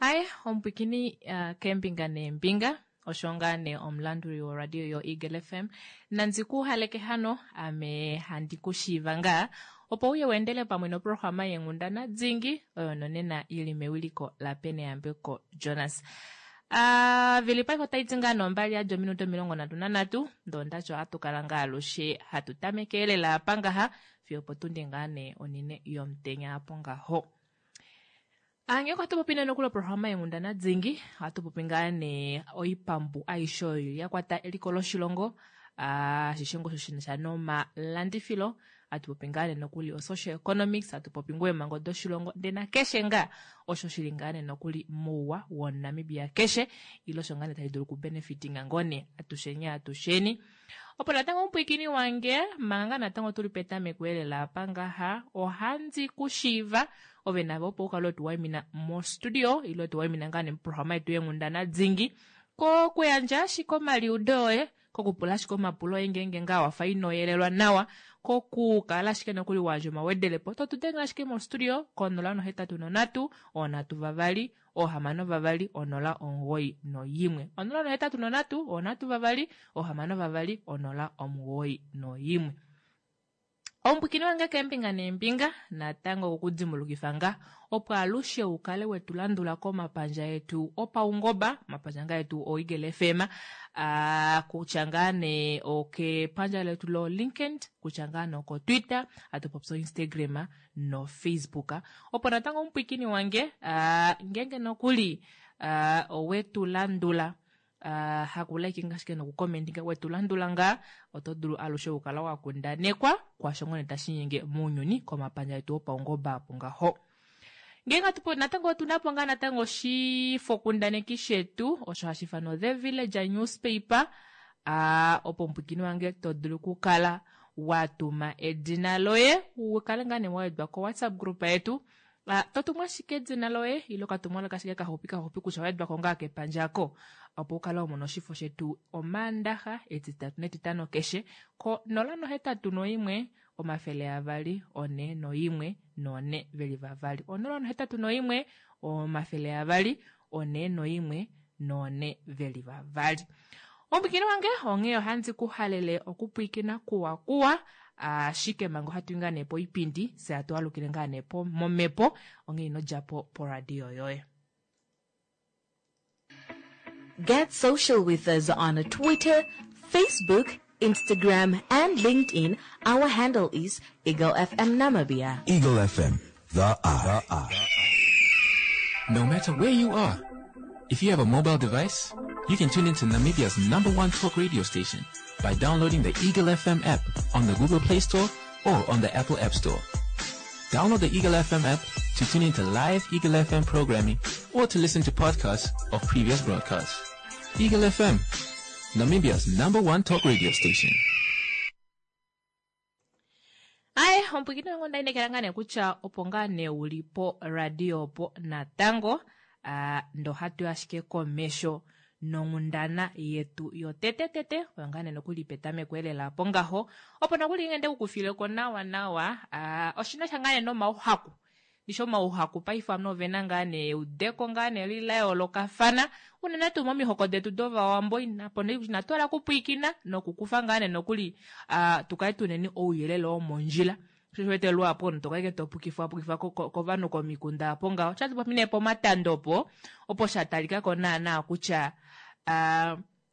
Aye, omupwikini keembinga neembinga, osho ngaa nee omulanduli woradio yoEagle FM. Nandi ku haleke hano, ame handi ku shiiva ngaa, opo uye weendele pamwe noprograma yeenghundana dingi, oyo nonena i li mewiliko laPeneyambeko Jonas. Vili paife otai ti ngaa nombali yadi ominute 33, ndoo ondati ohatu kala ngaa alushe hatu tameke lela apa ngaha, fiyo opotundi ngaa nee onine yomutenya apo ngaho. Ngenge ohatu popi nee nokuli oprograma yeenghundana dingi, ohatu popi ngaa nee oipambu aishe oyo ya kwata eliko loshilongo, ashishe ngoo osho shina sha nomalandifilo, hatu popi ngaa nee nokuli o-social economics, hatu popi ngoo eemhango doshilongo, ndee nakeshe ngaa osho shili ngaa nee nokuli mouwa womuNamibia keshe, ile osho ngaa nee tashi dulu okubenefitinga ngoo nee atusheni atusheni. Opo natango omupwiikini wange, manga ngaa natango tuli petameko elela apa ngaha, ohandi ku shiiva ove nave opo u kale wetu waimina mostudio ile wetu waimina ngaa nee moprograma yetu yeenghundana dingi, kokuyandja ashike omaliudo oye, kokupula ashike omapulo oye ngeenge ngaa wafa ino yelelwa nawa, kokukala ashike nokuli wa yandja omawedelepo, to tu dengele ashike mostudio ko 083 322 6 0 9 1. 083 3 6 0 9 1. Omupwikini wange keembinga neembinga natango okukudimbulukifa nga opo alushe u kale wetu landula komapandja etu opaungoba, omapandja nga etu oEagle FM, kutya ngaa nee okepandja letu lo LinkedIn, kutya ngaa nee oko Twitter, hatu popi Instagram no Facebook. Opo natango omupwikini wange, ngeenge nokuli owetu landula, haku likinga ashike noku commentinga, wetu landula ngaa, oto dulu alushe okukala wa kundanekwa kwaasho ngoo nee tashi nyenge mounyuni komapandja etu opaungoba apo ngaho. Ngeenge hatu natango otu na po ngaa natango oshifokundaneki shetu osho hashi ifanwa The Villager Newspaper, opo omupwikini wange to dulu okukala wa tuma edina loye u kale ngaa nee wa wedwa ko WhatsApp group yetu. To tumu ashike edina loye ile okatumwalaka ashike kaxupi kaxupi kutya owa wedwa ko ngaa kepandja ko, opo u kale wa mona oshifo shetu Omaandaxa, Etitatu nEtitano keshe ko 081 241 4 veli vavali. 081 241 4 veli vavali. Omupwikini wange onghee ohandi ku halele okupwikina kuwa kuwa, ashike manga ohatu i ngaa nee poipindi, fye hatu alukile ngaa nee momhepo, onghee ino dja po poradio yoye. Get social with us on Twitter, Facebook, Instagram and LinkedIn. Our handle is Eagle FM Namibia. Eagle FM, the eye. No matter where you are, if you have a mobile device, you can tune into Namibia's #1 talk radio station by downloading the Eagle FM app on the Google Play Store or on the Apple App Store. Download the Eagle FM app to tune into live Eagle FM programming or to listen to podcasts of previous broadcasts. Eagle FM, Namibia's #1 talk radio station. Aye, omupwikini wange onda inekela ngaa nee kutya opo ngaa nee uli po radio opo natango, ndo hatu ashike komesho nonghundana yetu yotetetete, oyo ngaa nee nokuli petameko elela apo ngaho, opo nokuli ngende kukufileko nawa nawa, oshina sha ngaa nee nomauhaku. Ndishi omauhaku paife ovanhu ovena ngaa nee eudeko ngaa nee li la yoolokafana, unene tuu momihoko detu dOvawambo, inatu hala okupwiikina nokukufa ngaa nee nokuli, tu kale tuneni ouyelele womondjila. Osho wete luhapu omunhu to kala to pukifwa pukifwa kovanhu komikunda apo ngaho. Osha popi nee pomatando opo, opo sha talika ko naanaa kutya,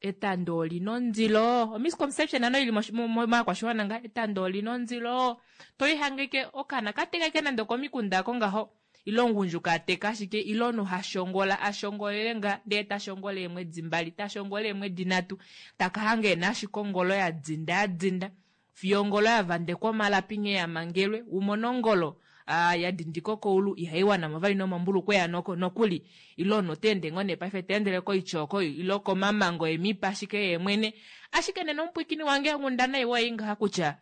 etando oli na ondilo. Omisconception ano ili movakwashiwana nga, etando oli na ondilo. To ihangeke okaana ka teka ke nande okomikunda ako ngaho, ile omugundjuka a teka ashike, ile omunhu ha shongola, a shongolele nga, ndee ta shongola eemwedi 2, ta shongola eemwedi 3, taka hanga ena ashike ongolo ya dinda, ya dinda. Fiyo ongolo ya vandekwa omalapi nghee ya mangelwe, u mone ongolo, ya dindika okoulu, ihai wana mo vali nomombulukweya nokuli. Ile omunhu ota ende ngoo nee paife ta endele koityooko, ile okomamango emipa ashike yee mwene. Ashike nena omupwikini wange, onghundana iwa ei ngaha kutya,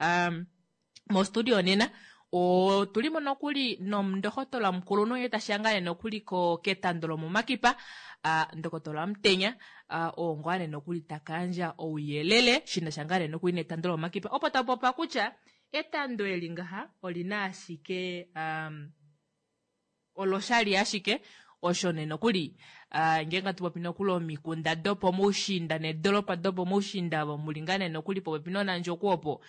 mostudio nena, otuli mo nokuli nomundohotola mukulunhu nghee tashi ya ngaa nee nokuli ketando lomomakipa, ndokotola Amutenya, oo ngaa nee nokuli taka yandja ouyelele shina sha ngaa nee nokuli netando lomomakipa, opo ta popa kutya etando eli ngaha olina ashike, oloshali ashike, Osho nee nokuli ngeenge hatu popi nokuli omikunda dopomoushiinda needolopa dopomoushiinda ovo muli ngaa nee nokuli popepi nOnandjokwe opo.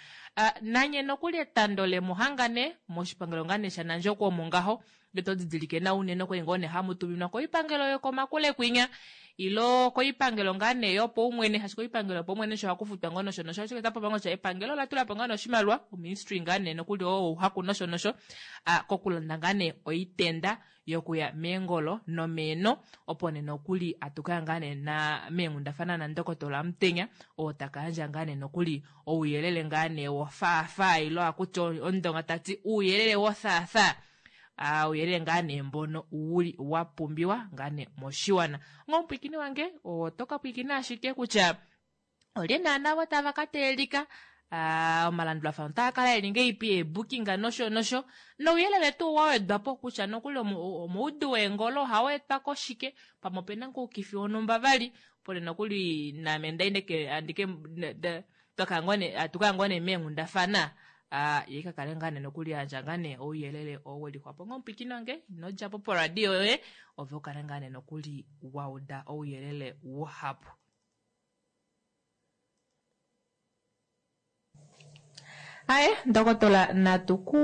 Nanye nokuli etando lemuhanga nee moshipangelo ngaa nee shaNandjokwe omo ngaho ngee to didilike nawa unene okwali ngoo nee hamu tuminwa koipangelo yokomakule kwinya ilo koipangelo ngaa nee yopaumwene shaashi koipangelo yopaumwene osho ohaku futwa ngoo nosho nosho ashike otapopiwa ngoo kutya epangelo ola tula po ngaa nee oshimaliwa oministry ngaa nee nokuli oo wouhaku nosho nosho kokulanda ngaa nee oitenda yokuya meengolo nomeeno opo nee nokuli atu kaya ngaa nee na meenghundafana nandokotola Amutenya oo taka yandja ngaa nee nokuli ouyelele ngaa nee wofaafaa ilo akuti omundonga tati uuyelele wothaathaa ouyelele ngaa nee mbono wuli wa pumbiwa ngaa nee moshiwana. Onga omupwiikini wange oto ka pwiikina ashike kutya olye naana vo tava ka teelika omalandulafano otaa kala eli ngeipi eebookinga nosho nosho nouyelele tuu wa wedwa po kutya nokuli omoudu weengolo ohau etwa koshike pamwe opena ngoo oukifi wonhumba vali pole nokuli naame ndaindeke andike atuka ngoo nee meenghundafana ye ka kale ngaa nee nokuli yandja ngaa nee ouyelele oo we lixwapo. Onghee omupwiikini wange ino dja po poradio yoye ove u kale ngaa nee nokuli wa uda ouyelele wuhapu. Aye, ndokotola natu ku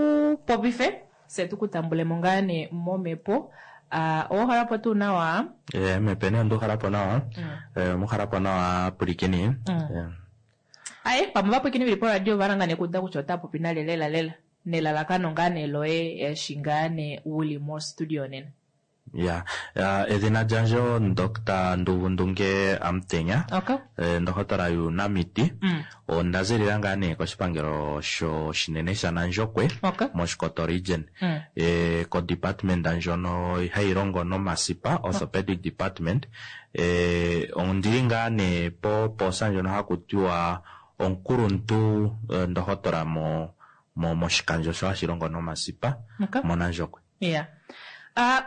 popife fye tu ku tambule mo ngaa nee momhepo. Owa uhala po tuu nawa? Eh, mhepo ene onda uhala po nawa. Eh, omuhala po nawa pwilikini. Eh. Aye, pamwe ovapwilikini veli poradio ova hala ngaa nee okuuda kutya ota popi nale lela lela nelalakano ngaa nee loye eshi ngaa nee uli mostudio nena. Ya, edhina lyandje oNdoctor Nduvundunge Amutenya, Okay. ndohotola yuunamiti. Onda zilila ngaa nee koshipangelo shinene shaNandjokwe Okay. mOshikoto region. Ko department ndjono hayi longo nomasipa, orthopedic department. Ondili ngaa nee popoosa ndjono haku tiwa omukuluntu ndohotola moshikandjo sho hashi longo nomasipa Okay. mOnandjokwe. Ya.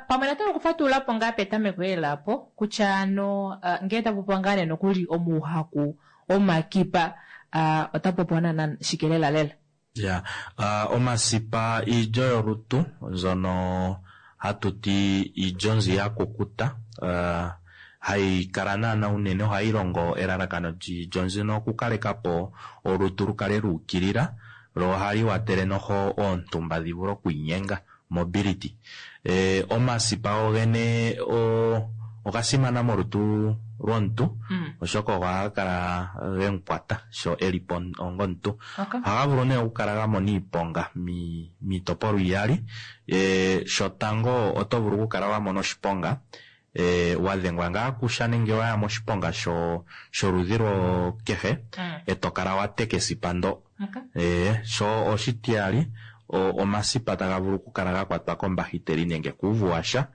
Pamwe natango okufatulula po ngaa petameko lela po kutya ano ngee tapu popiwa ngaa nee nokuli omuuhaku womakipa otapu popiwa naana shike lela lela? Ya, omasipa iilyo yolutu mbyono hatu ti iilyo mbi ya kukuta hayi kala naana unene ohayi longo elalakano lyiilyo mbino okukaleka po olutu lu kale lu ukilila lo ohali watele noho oontumba dhi vule okwiinyenga, mobility. Omasipa gogene oga simana molutu lwomuntu oshoka ogo haga kala ge mu kwata sho e li po ongomuntu. Ohaga vulu nee okukala ga mona iiponga miitopolwa iyali. Shotango oto vulu okukala wa mona oshiponga wa dhengwa ngaa kusha nenge wa ya moshiponga sholudhi kehe e to kala wa teka esipa ndo. Sho oshitiyali omasipa taga vulu okukala ga kwatwa kombahiteli nenge kuuvu washa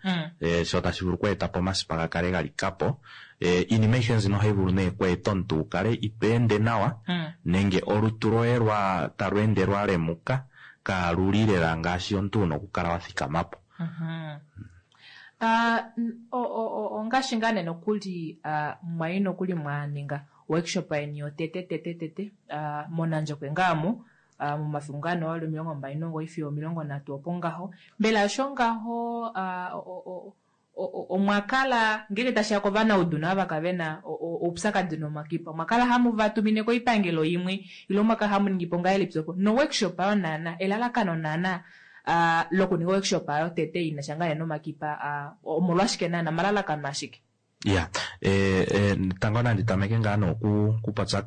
sho tashi vulu okweeta po omasipa ga kale ga lika po. Iinima ayihe mbino ohayi vulu nee okweeta omuntu wu kale ito ende nawa nenge olutu lwoye talu ende lwa lemuka kaalu li lela ngaashi omuntu wuna okukala wa thikama po. Ongaashi ngaa nee nokuli mwa yi nokuli mwa ninga workshop yeni yotete tete tete mOnandjokwe ngaa mu momafiku ngaa nee wali 29 fiyo 30 opo ngaho. Mbela osho ngaho omwa kala ngeenge tashiya kovanaudu naava kave na oupyakadi nomakipa omwa kala hamu va tumine koipangelo imwe ile omwa kala hamu ningi po ngahelipi opo no workshop ayo naana elalakano naana lokuninga workshop ayo tete ina sha ngaa nomakipa omolwashike naana omalalakano ashike? Ya, tango nandi tameke ngaa nee okupopya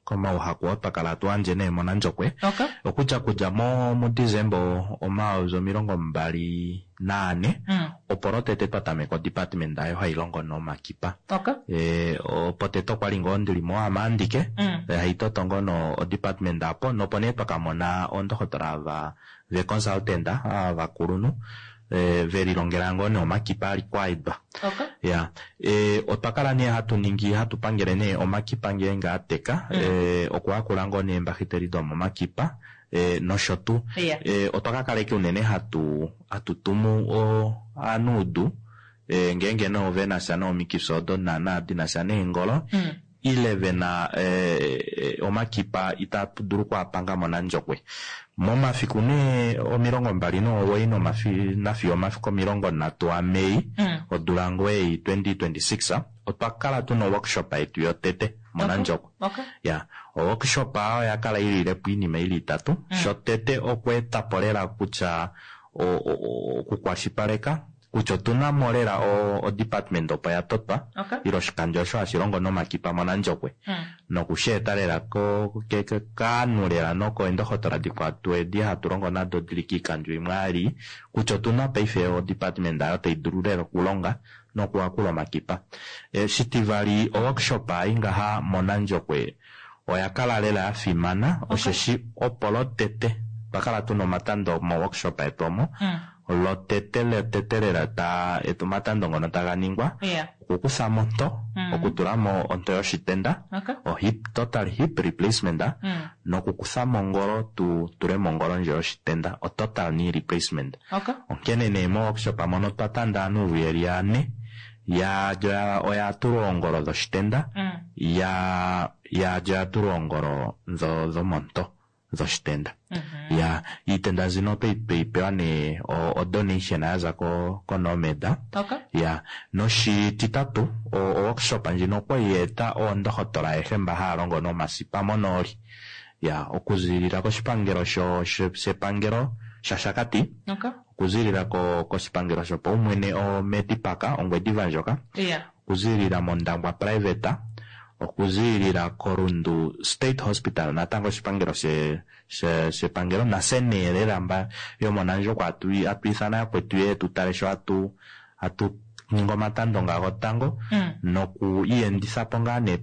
komauhaku oo twa kala hatu yandje nee mOnandjokwe. Okay. Okutya kudja muDesemba 2024 opo lwotete twa tameka odepartment ayo hayi longo nomakipa. Okay. Potete okwali ngoo ndili mo aame andike hayi toto ngoo no odepartment apo nopo nee twa kamona oondohotola ava ve consultant ovakulunhu velilongela ngoo nee omakipa a required. Okay. Ya, otwa kala nee hatu ningi hatu pangele nee omakipa ngeenge a teka okuhakula ngoo nee eembahiteli domomakipa nosho tuu. Yeah. Otwa ka kaleke unene hatu tumu ovanuudu ngeenge nee ove na sha nomikifi odo naana di na sha neengolo. ile vena omakipa itatu dulu okuapanga mOnandjokwe. Momafiku nee 29 nafiyo omafiku 30 aMei odula ngoo ei 2026 otwa kala tuna o-workshop yetu yotete mOnandjokwe. Ya, o-workshop oya kala ililepo oinima ili itatu. Shotete okweetapo lela kutya okukwashipaleka kutya otuna mo lela o-department opo ya totwa ile oshikandjo osho hashi longo nomakipa mOnandjokwe nokusheeta lela kaanhu lela nokeendohotola dikwatu edi hatu longo nado dili kiikandjo imwe ali kutya otuna paife o-department ayo tai dulu lela okulonga nokuhakula omakipa. Shitivali, o-workshop ei ngaha mOnandjokwe oya kala lela ya fimana osheshi opo lotete otwa kala tuna omatando mo-workshop yetu omo lotete lotete lela ta omatando ngono taga ningwa okukufamo onto okutulamo onto yoshitenda o-hip total hip replacement nokukuthamo ongolo tu tulemo ongolo ndjo yoshitenda o-total knee replacement. Onkene nee mo-workshop mono otwa tanda aanuuvu yeli yane yaalyo oya tulwa oongolo dhoshitenda yaalyo oya tulwa oongolo dhomonto dhoshitenda. Ya, iitenda nzino otweyi pewa nee o-donation yaza koNomed. Ya, noshititatu o-workshop ndjino okwali ya eta oondohotola ayehe mba haya longo nomasipa monooli. Ya, okuzilila koshipangelo shepangelo shaShakati, okuzilila koshipangelo shopaumwene oMedipark Ongwediva ndjoka, okuzilila mOndangwa private, okuzilila koRundu State Hospital natango oshipangelo shepangelo nase nee lela mba yomOnandjokwe atu ithana yakwetu yeye tu tale sho atu ningi omatando nga gotango noku iyendithapo ngaa nee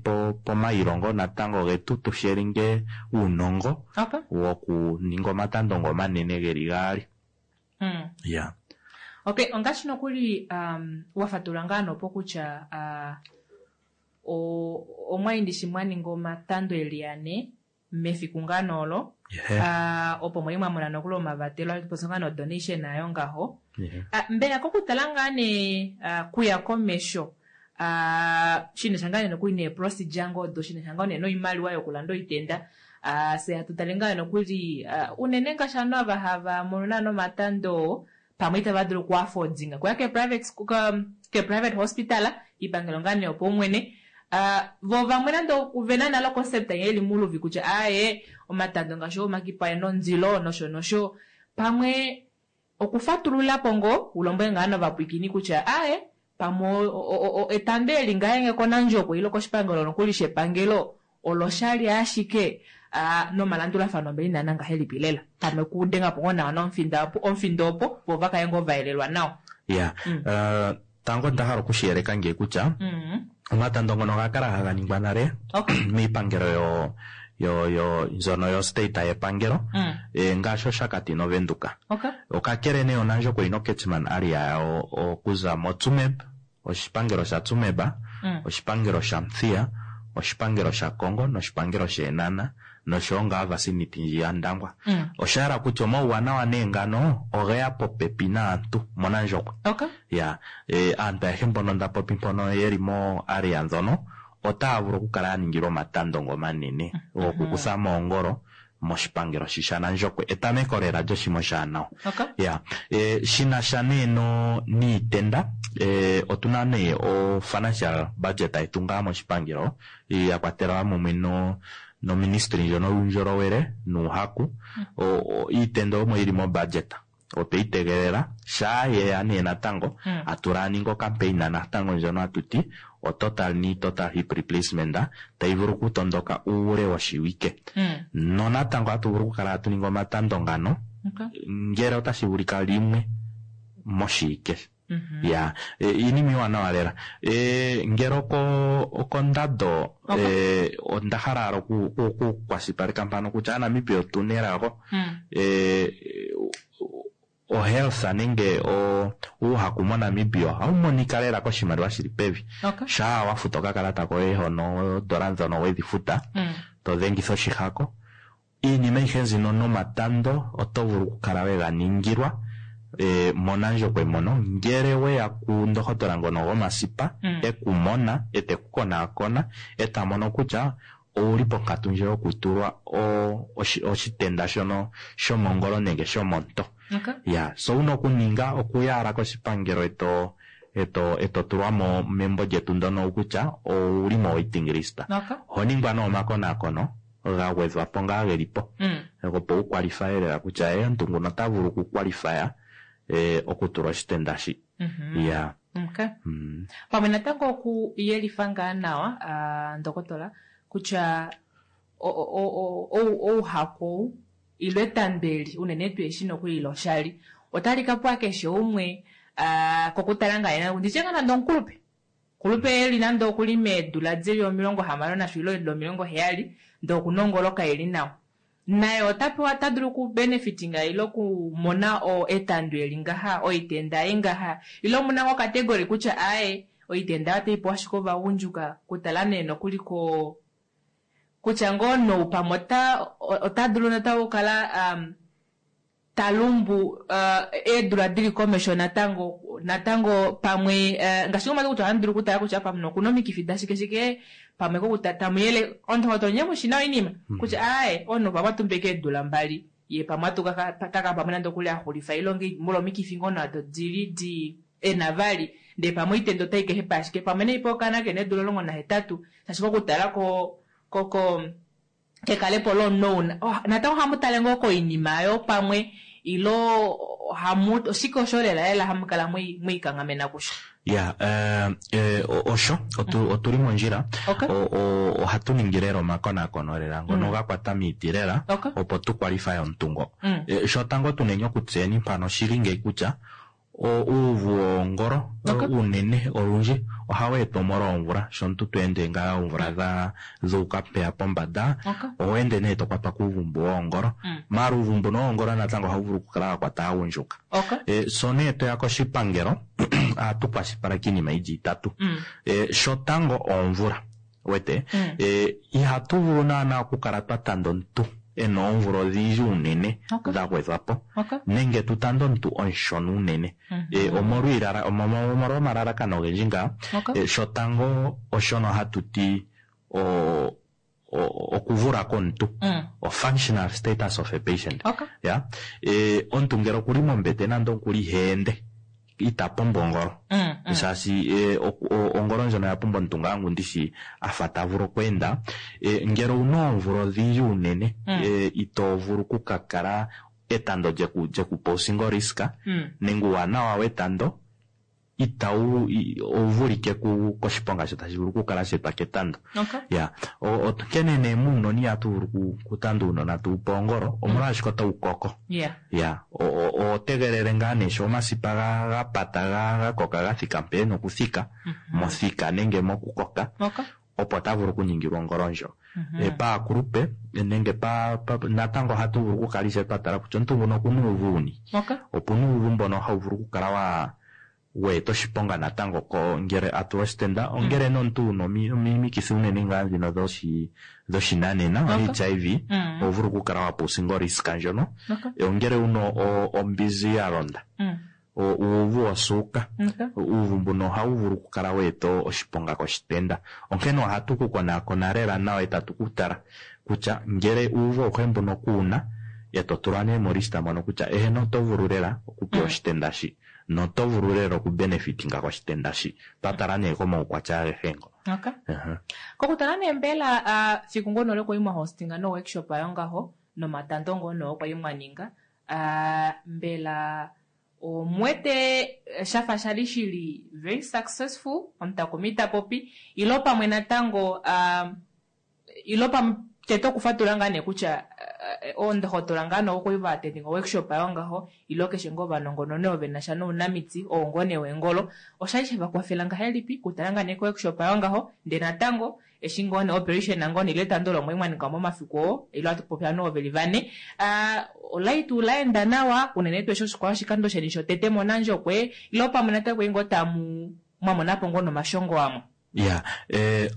pomailongo natango getu tu sharinge uunongo wokuninga omatando ngo omanene geli gaali. Ya. Okay, ongaashi nokuli wa fatulula ngaa nopo kutya omwa shi mwa ninga omatando eli ane mefiku ngaa noolo opo mwali mwa mona nokuli omavatelo poso ngaa no-donation ayo ngaho. Mbela kokutala ngaa nee kuya komesho shinasha ngaa nee nokuli nee-procedure ngoo odo shinasha ngaa nee noimaliwa yokulanda oitenda fye hatu tale ngaa nokuli unene ngaashi ovanhu ava hava mono naana omatando pamwe itava dulu okuaffordinga kuya ke-private hospital iipangelo ngaa nee yopaumwene vo vamwe nande ovena nale o-concept yeli muluvi kutya aaye omatando ngaashi omakipa ena ondilo nosho nosho pamwe okufatululapo ngoo ulombwele ngaa novapwiikini kutya aaye pamwe etando eli ngahenge kOnandjokwe ile koshipangelo nokuli shepangelo oloshali ashike nomalandulafano mbeli naana ngahelipi lela pamwe kudengapo ngoo nawa omufindo opo vo vakale ngoo vayelelwa nawa. Ya, tango onda hala okushiyeleka ngee kutya omatando ngono oga kala haga ningwa nale miipangelo yo mbyono yo state yepangelo ngaashi Oshakati noVenduka. Okakele nee Onandjokwe oyina o-catchment area yawo okuza moTsumeb, oshipangelo shaTsumeb, oshipangelo shaMuthiya, oshipangelo shaKongo noshipangelo shEenhana noshowo ngaa vicinity ndji yaNdangwa. Osha hala kutya omauwanawa nee ngano ogeya popepi naantu mOnandjokwe. Ya, aantu ayehe mbono nda popi mpono yeli mo area ndhono otaya vulu okukala ya ningilwa omatando ngo omanene gokukuthamo oongolo moshipangelo shi shaNandjokwe etameko lela lyoshima oshaanawa. Ya, shinasha nee niitenda otuna nee o financial budget yetu ngaa moshipangelo ya kwatelwa mumwe noministry ndjono yuundjolowele nuuhaku. Iitenda omo yili mo budget otweyi tegelela shaa yeya nee natango atu ninga o-campaign natango ndjono hatuti o total knee total hip replacement tayi vulu okutondoka uule woshiwike. Nonatango ohatu vulu okukala hatu ningi omatando ngano ngele otashi vulika limwe moshiwike. Ya, iinima iiwanawa lela. Ngele okondando onda hala owala okukwashilipaleka mpano kutya aaNamibia otuna elago. O-health nenge uuhaku moNamibia ohawu monika lela koshimaliwa shili pevi. Shaa wa futa okakalata koye hono oondola ndhono wedhi futa to dhengitha oshihako iinima ayihe nzino nomatando oto vulu okukala wega ningilwa. mOnandjokwe mono ngele weya kundohotola ngono gomasipa ekumona ete ku konaakona eta mono kutya ouli ponkatu ndjo yokutulwa oshitenda shono shomongolo nenge shomonto. Ya, so wuna okuninga okuya koshipangelo eto tulwa mo membo lyetu ndono kutya ouli mo waiting list. Oho ningwa nee omakonaakono ga gwedhwa po ngaa geli po opo wu kwalifye lela kutya omuntu nguno ota vulu okukwalifya okutulwa oshitenda shi. Ya. Pamwe natango okuyelifa ngaa nawa ndokotola kutya ouhaku ile etando eli unene tuu eshi nokuli loshali otali ka pwa keshe umwe kokutala ngaa nditye ngaa nande omukulupe kulupe eli nande okuli meedula dili 60 nasho ile 70 ndee okuna ongolo kaili nawa naye ota pewa ota dulu okubenefitinga ile okumona etando eli ngaha oitenda ei ngaha ile omuna ngo category kutya aaye oitenda otayi pewa ashike ovagundjuka kutala nee nokuli ko kutya ngoo noupamwe ota dulu natango okukala talumbu eedula dili komesho natango pamwe ngaashi ngomati kutya ohamu dulu okutala kutya pamwe okuna omikifi dashike shike pamwe tamuyele ondohotola nye mushina oinima kutya aaye omunhu pamwe atumbeke eedula 2 ye pamwe atuka taka pamwe nande okuli axulifa ile molwa omikifi ngoo nado dili di ena vali ndee pamwe oitenda otai kehepa ashike pamwe neipa okaana kena eedula 18 shaashi kokutala ko kekalepo lomunhu natango ohamu tale ngoo koinima yo pamwe ilo hamu oshike osho lela lela hamu kala mwiikanghamena kusho. Ya, osho otuli mondjila. Ohatu ningi lela omakonakono lela ngono ga kwata miiti lela opo tu kwalifye omuntu ngo. Shotango tuneni okutseyeni mpano oshili ngeyi kutya uuvu woongolo unene olundji ohawu etwa omolwa omvula sho omuntu to ende ngaa oomvula dhuuka mpeya pombada oho ende nee to kwatwa kuuvu mbu woongolo. Maala uuvu mbuno woongolo natango ohawu vulu okukala wa kwata aagundjuka. So nee toya koshipangelo ohatu kwashilipaleke iinima yili itatu. Shotango oomvula wete ihatu vulu naana okukala twa tanda omuntu ena oomvula odhindji unene dha gwedhwa po nenge tu tande omuntu omushona unene omolwa omalalakano ogendji ngaa. Shotango oshono hatu ti okuvula komuntu, o functional status of a patient. Ya, omuntu ngele okuli mombete nande okuli iheende ita pumbwa ongolo shaashi ongolo ndjono oya pumbwa omuntu ngaa ngu ndishi afa ta vulu okweenda. Ngele owuna oomvula odhindji unene ito vulu okukakala etando lyekupa osingo risk nenge uuwanawa wetando itawu ovulike koshiponga sho tashi vulu okukala sheetwa ketando. Ya, onkene nee muunona ihatu vulu okutanda uunona tuupe ongolo omolwashike otawu koko. Ya, oho tegelele ngaa nee sho omasipa ga pata ga koka ga thika mpe ena okuthika mothika nenge mokukoka opo ta vulu okuningilwa ongolo ndjo. Paakulupe nenge natango ohatu vulu okukala ishewe twa tala kutya omuntu nguno okuna uuvu wuni. Opuna uuvu mbono hawu vulu okukala weeta oshiponga natango ngele a tulwa oshitenda ongele nomuntu wuna omikithi unene ngaa ndhino dhoshinanena HIV oho vulu okukala wapa osingo risk ndjono. Ongele wuna ombinzi ya londa, uuvu wosuuka, uuvu mbuno ohawu vulu okukala weeta oshiponga koshitenda. Onkene ohatu ku konaakona lela nawa etatu ku tala kutya ngele uuvu awuhe mbuno kuwuna eto tulwa nee molista mono kutya eheno oto vulu lela okupewa oshitenda shi noto vulu lela okubenefitinga koshitenda shi twatala nee komaukwatya agehe ngo. Kokutala nee mbela fiku ngono lokwali mwa hostinga no workshop ayo ngaho nomatando ngono kwali mwa ninga mbela omwete shafa shali shili very successful omutakumi tapopi ilo pamwe natango ilo pamwe tete okufatula ngaa nee kutya oondohotola ngaa nokuli va attendinga workshop ayo ngaho ilo keshe ngoo ovanongononi ovo venasha nounamiti oo ngoo nee wengolo oshali shevakwafela ngahelipi kutala ngaa nee ko workshop ayo ngaho ndee natango eshi ngoo nee operation ngoo nee ile etando lomwe mwaninga momafiku oo ilo atu popya noo veli vane olai tuu laenda nawa unene tuu eshi oshikwawo oshikando sheni shotete mOnandjokwe ilo pamwe natango ngoo tamu mwamonapo ngoo nomashongo amwe. Ya,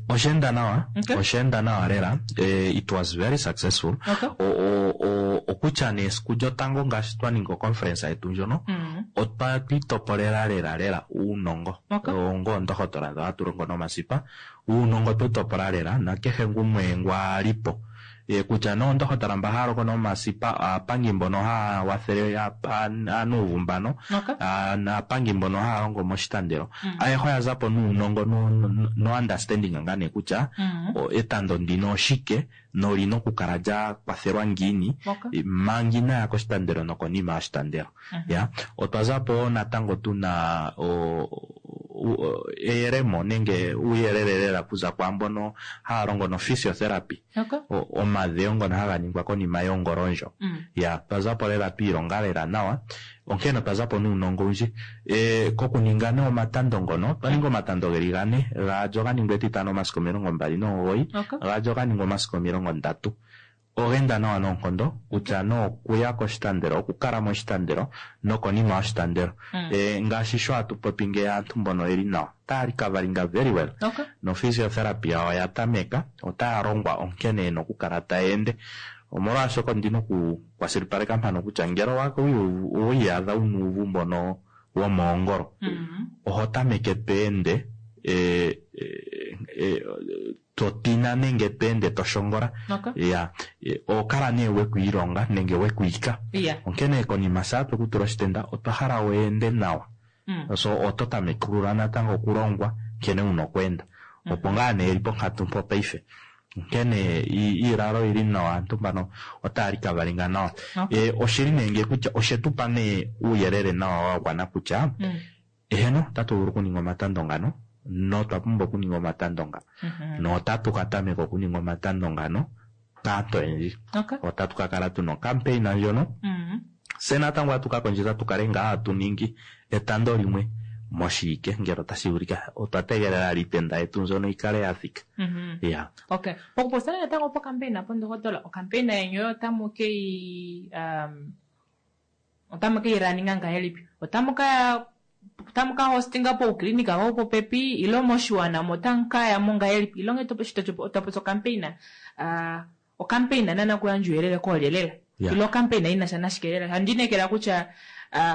osha enda nawa. Okay. Osha enda nawa lela. It was very successful. Okay. Okutya nee esiku lyotango ngaashi twa ninga oconference yetu ndjono, otwa twitopolela lela lela uunongo. Okay. Ongo oondohotola dho hatu longo nomasipa, uunongo twe topola lela nakehe gumwe ngwa ali po. Kutya nee oondohotola mba haya longo nomasipa, aapangi mbono haya wathele aanuuvu mbano, Okay. naapangi mbono haya longo moshitandelo, ayehe oya zapo nuunongo no understanding ngaa nee kutya etando ndino oshike nolina okukala lya kwathelwa ngiini Okay. manga inaya koshitandelo nokonima yoshitandelo. Ya, otwa zapo wo natango tuna eyelemo nenge uuyelele lela kuza kwaambono haya longo no physiotherapy. Okay. Omadhewo ngono haga ningwa konima yongolo ndjo. Ya, twa zapo lela twiilonga lela nawa, onkene otwa zapo nuunongo owundji. Kokuninga nee omatando ngono, otwa ninga omatando geli 4, gaali oga ningwa etitano omasiku 29, Okay. gaali oga ningwa omasiku 30. Oga enda nawa noonkondo, kutya nee okuya koshitandelo, okukala moshitandelo nokonima yoshitandelo. Ngaashi sho hatu popi ngeyi aantu mbono oyeli nawa, otaya recoveringa very well. Okay. No physiotherapy yawo oya tameka, otaya longwa onkene yena okukala taya ende. Omolwashoka ondina okukwashilipaleka mpano kutya ngele owa iyadha wuna uuvu mbono womoongolo, oho tameke to ende, to tina nenge to ende to shongola. Okay. Ya, oho kala nee wekwiilonga nenge wekwiika. Yeah. Onkene konima shaa tweku tula oshitenda, otwa hala weende nawa. So oto tamekulula natango okulongwa nkene wuna okweenda. Opo ngaa nee eli ponkatu mpo paife. Onkene iilalo oyili nawa, aantu mbano otaya recoveringa nawa. Okay. Oshili nee ngeyi kutya oshetu pa nee uuyelele nawa wa gwana kutya, eheno, otatu vulu okuninga omatando ngano, notwa pumbwa okuninga omatando nga. Notatu ka tameka okuninga omatando ngano kaantu oyendji. Okay. Otatu ka kala tuna ocampaign ndjono. Se natango atu ka kondjitha tu kale ngaa hatu ningi etando limwe moshiike ngele otashi vulika. Otwa tegelela iitenda yetu mbyono yi kale ya thika. Ya. Okay. Pokupopya natango pocampaign apo ndohotola, ocampaign yenyu oyo otamu ke yi, otamu ke yi runninga ngahelipi? Otamu ka, otamu ka hostinga pouklinika vopopepi ilo moshiwana mo otamu ka ya mo ngahelipi? Ilo ngee topopi ocampaign, ocampaign nana kuyandja uuyelele koolye lela? Yeah. Ilo ocampaign ina sha nashike lela? Handi inekela kutya,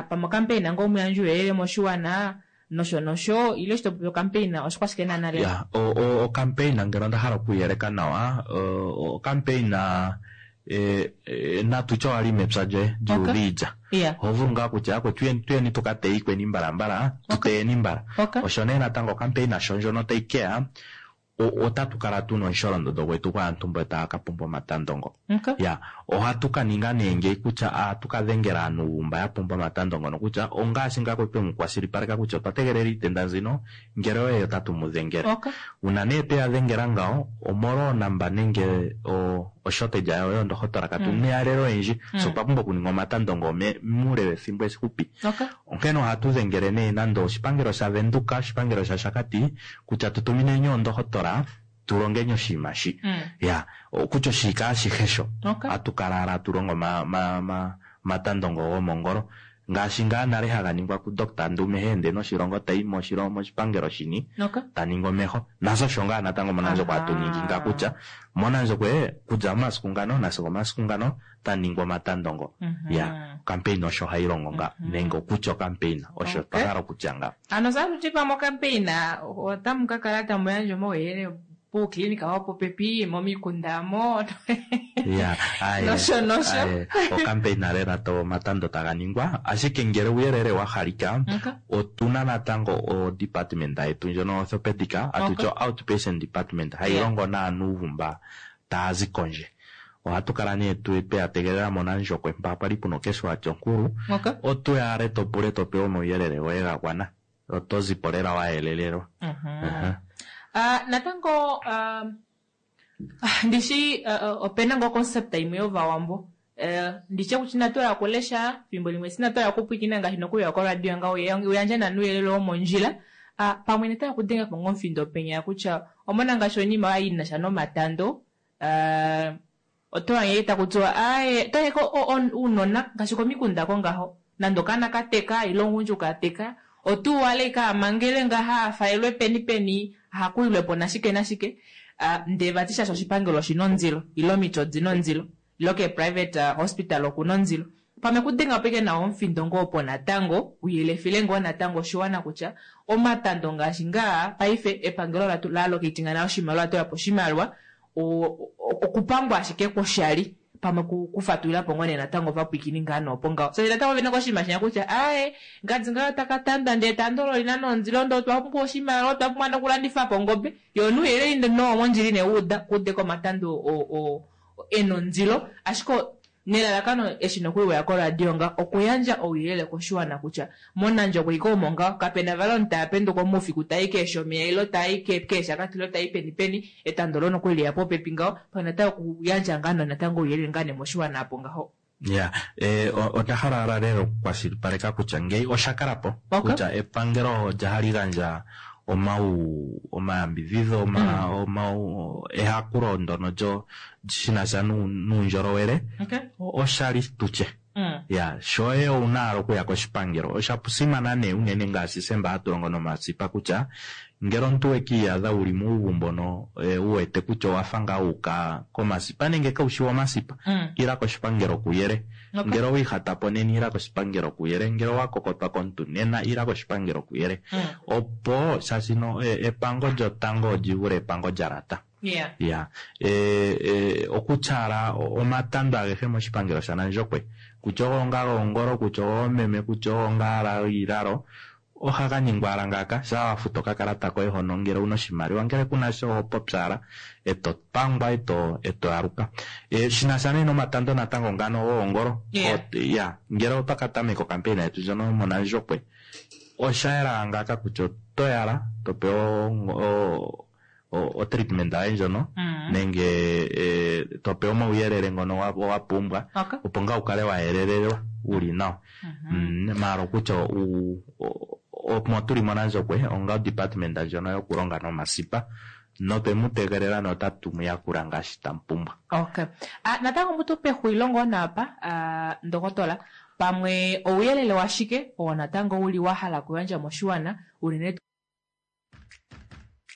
pamwe ocampaign ngoo muyandja uuyelele moshiwana nosho nosho, ilo eshi topopi ocampaign oshikwashike nana lela? Ya, ocampaign ngele onda hala okuyeleka nawa, ocampaign, natu tye owali mepya lyoye lyuudha iilya. Yeah. Oho vulu ngaa kutya akwe tuyeni tuka teye ikweni mbalambala, tu teyeni mbala. Okay. Osho nee natango ocampaign sho ndjono tayi keya, otatu kala tuna omusholondondo gwetu gwaantu mbo taya ka pumbwa omatando ngo. Okay. Ya, ohatu ka ninga nee ngeyi kutya ohatu ka dhengela aantu mba ya pumbwa omatando ngono kutya ongaashi ngaa twe mu kwashilipaleka kutya otwa tegelela iitenda nzino, ngele oye otatu mu dhengele. Okay. Una nee tweya dhengela ngawo, omolwa onamba nenge oshortage yawo yoondohotola katu na eyalelo oyendji. So otwa pumbwa okuninga omatando ngo muule wethimbo efupi. Okay. Onkene ohatu dhengele nee nando oshipangelo shaVenduka, oshipangelo shaShakati, kutya tu tumineni oondohotola tu longeni oshinima shi. Ya, kutya oshika ashihe sho. Okay. Ohatu kala ala tu longo matando ngo gomongolo. Ngaashi ngaa nale haga ningwa ku Doctor Ndume he ende noshilongo tayi moshipangelo shini, Okay. ta ningi omeho. Nasho osho ngaa natango mOnandjokwe hatu ningi nga kutya mOnandjokwe kutya omasiku ngano nasigo omasiku ngano ta ningwa omatando ngo. Ya, ocampaign osho hayi longo nga, nenge okutya ocampaign osho Okay. twa hala okutya nga. Ano sa tuti pamwe ocampaign otamu ka kala tamu yandja omauyelele puuklinika wopopepi, momikunda mo. Ya, aye, Nosho, nosho. aye, ocampaign lela to omatando taga ningwa, ashike ngele uuyelele wa halika, Okay. otuna natango o department yetu ndjono orthopedic, atu Okay. tya outpatient department, hayi Yeah. longo naanuuvu mba taya zi kondje. Ohatu kala nee tweya tegelela mOnandjokwe mpa pwali puna okeshuwa lyonkulu. Okay. Otuya ale to pule to pewe omauyelele goye ga gwana. Oto zipo lela wa yelelelwa. Aha. Natango, ndishi, opena ngo concept imwe yovawambo. Nditye kutya inatu ya kulesha, fimbo limwe sinatu ya kupwikina ngaashi nokuya koradio nga uyandje nanuuyelele womondjila. Pamwe neta kudenga po ngomfindo penya kutya omona ngaashi onima ya ina sha nomatando. Oto wange ta kutiwa, aye, to yeko uunona ngaashi komikunda ko ngaho. Nando kana ka teka, ilo ngundju ka teka. Otuwa ikaamangele ngaha afaelwe peni peni ahakuilwepo nashike nashike, ndee vati shaashi oshipangelo oshina ondilo ile omiti odina ondilo ile kee private hospital okuna ondilo. Pamwe kudenga po ike nawa omufindo ngoo opo natango uyelefile ngoo natango oshiwana kutya omatando ngaashi ngaa paife epangelo la allocatinga nale oshimaliwa tulapo oshimaliwa okupangwa ashike kwoshali pamwe kufatulila po ngoo nee natango ovapwiikini ngaa noopo ngaho shaashi natango ovena koshinima shinya kutya aaye ngadi ngayo taka tandwa ndee tando olo olina nondilo ndee otwa pumbwa oshimaliwa otwa pumbwa nokulandifa po ongobe yoo nuuyelele nowo mondjila ine wuuda kuudeko omatando ena ondilo ashike nelalakano eshi nokuli weya koradio nga okuyandja ouyelele koshiwana kutya mOnandjokwe ike omo ngaho kapena vali omunhu tapenduka moufiku tai keeshomeya ile tai keeshakati ile tai peni peni etando lo nokuli liya popepi ngaho pamwe natango okuyandja ngaa natango ouyelele ngaa nee moshiwana apo ngaho. Ya, onda hala lela okukwashilipaleka kutya ngeyi osha kala po kutya epangelo olya hali gandja omau omayambidhidho omau ehakulo ndono lyo shinasha nuundjolowele oshali tutye. Ya, shoye owuna owala okuya koshipangelo. Osha simana nee unene ngaashi semba hatu longo nomasipa kutya ngele omuntu wekiiyadha wuli muuvu mbono wu wete kutya owafa ngaa wuuka komasipa nenge kaushi womasipa, ila koshipangelo kuyele. Ngele owiihata po nena ila koshipangelo kuyele, ngele owa kokotwa komuntu nena ila koshipangelo kuyele. Opo shashino epango lyotango olyi vule epango lya lata. Ya, okutyala omatando agehe moshipangelo shaNandjokwe kutya ogo ngaa goongolo, kutya ogoomeme, kutya ogo ngaa giilalo ohaga ningwa ala ngaaka shaa wa futa okakalata koye hono ngele owuna oshimaliwa ngele kunasha oho popyala eto pangwa eto aluka. Shinasha nee nomatando natango ngano goongolo ya ngele otwa ka tameka okampeyina yetu ndjono yomOnandjokwe osha yela ngaaka kutya oto yala to pewa otreatment yoye ndjono nenge to pewa omauyelele ngono wa pumbwa opo ngaa wu kale wa yelelelwa wuli nawa. Maala okutya omo tuli mOnandjokwe onga odepartment ndjono yokulonga nomasipa notwe mu tegelela notatu mu yakula ngaashi tamu pumbwa. Okay. Natango mutu pexulilo ngoo naapa ndokotola pamwe ouyelele washike oo natango uli wa hala okuyandja moshiwana unene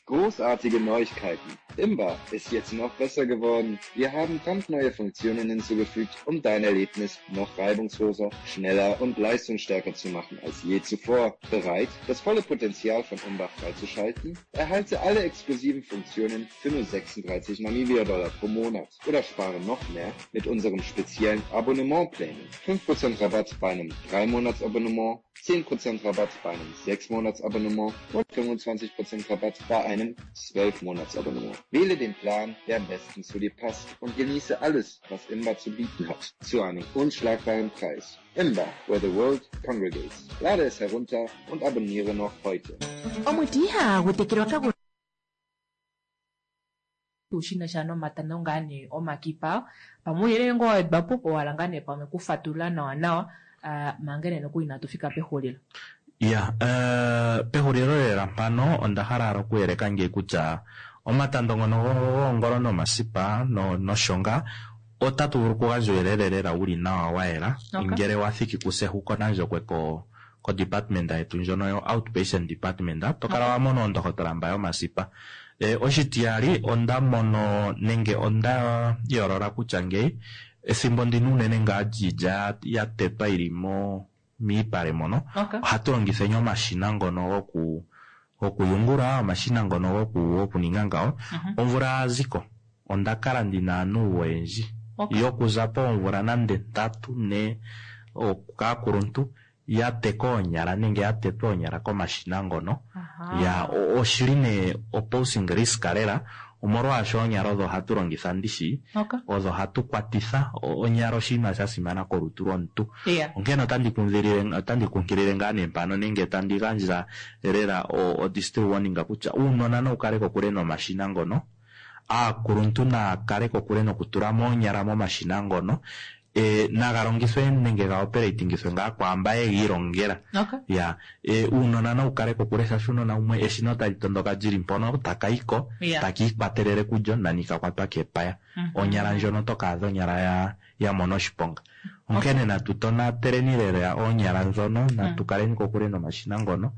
Großartige Neuigkeiten! Imba ist jetzt noch besser geworden. Wir haben brandneue Funktionen hinzugefügt, um dein Erlebnis noch reibungsloser, schneller und leistungsstärker zu machen als je zuvor. Bereit, das volle Potenzial von Imba freizuschalten? Erhalte alle exklusiven Funktionen für nur 36 Namibia-Dollar pro Monat oder spare noch mehr mit unserem speziellen Abonnementplänen. 5% Rabatt bei einem 3-Monats-Abonnement, 10% Rabatt bei einem 6-Monats-Abonnement und 25% Rabatt bei einem 12-Monats-Abonnement. Wähle den Plan, der am besten zu dir passt und genieße alles, was Imba zu bieten hat, zu einem unschlagbaren Preis. Imba, where the world congregates. Lade es herunter und abonniere noch heute. Omuti ihagu tekelwa kagu tuu shinasha nomatando ngaa nee omakipa pamwe ouyelele ngoo wa wedwa po owala ngaa nee pamwe kufatulula nawa nawa manga nee nokuli inatu fika pexulilo. Ya, pexulilo lela mpano onda hala okuyeleka ngeyi kutya omatando ngono goongolo nomasipa noshonga otatu vulu okugandja uuyelele lela wuli nawa wa yela ngele wa thiki kuse hu kOnandjokwe ko ko department yetu ndjono yo outpatient department to kala wa mona oondohotola mba yomasipa. Oshitiyali onda mono nenge onda yoolola kutya ngeyi ethimbo ndino unene ngaa lyiilya ya tetwa yili miipale mono ohatu longitheni omashina ngono gokuyungula, omashina ngono gokuninga ngawo. Omvula ya ziko onda kala ndina aantu oyendji yokuza poomvula nande 3 4 kaakuluntu ya teka oonyala nenge ya tetwa oonyala komashina ngono. Ya oshili nee oposing risk lela omolwaasho oonyala odho hatu longitha ndishi odho hatu kwatitha onyala oshinima sha simana kolutu lwomuntu. Onkene otandi kunkilile ngaa nee mpano nenge tandi gandja lela o district warning kutya uunona nawu kale kokule nomashina ngono, aakuluntu naa kale kokule nokutula mo oonyala momashina ngono, naga longithwe nenge ga operatingithwe ngaa kwaamba ye gi ilongela. Ya, uunona nawu kale kokule shaashi uunona wumwe eshina otali tondoka lili mpono taka yiko taki ikwatelele kulyo nani ka kwatwa kepaya. Onyala ndjono to ka adha onyala ya mona oshiponga. Onkene natu tonateleni lela oonyala ndhono, natu kaleni kokule nomashina ngono.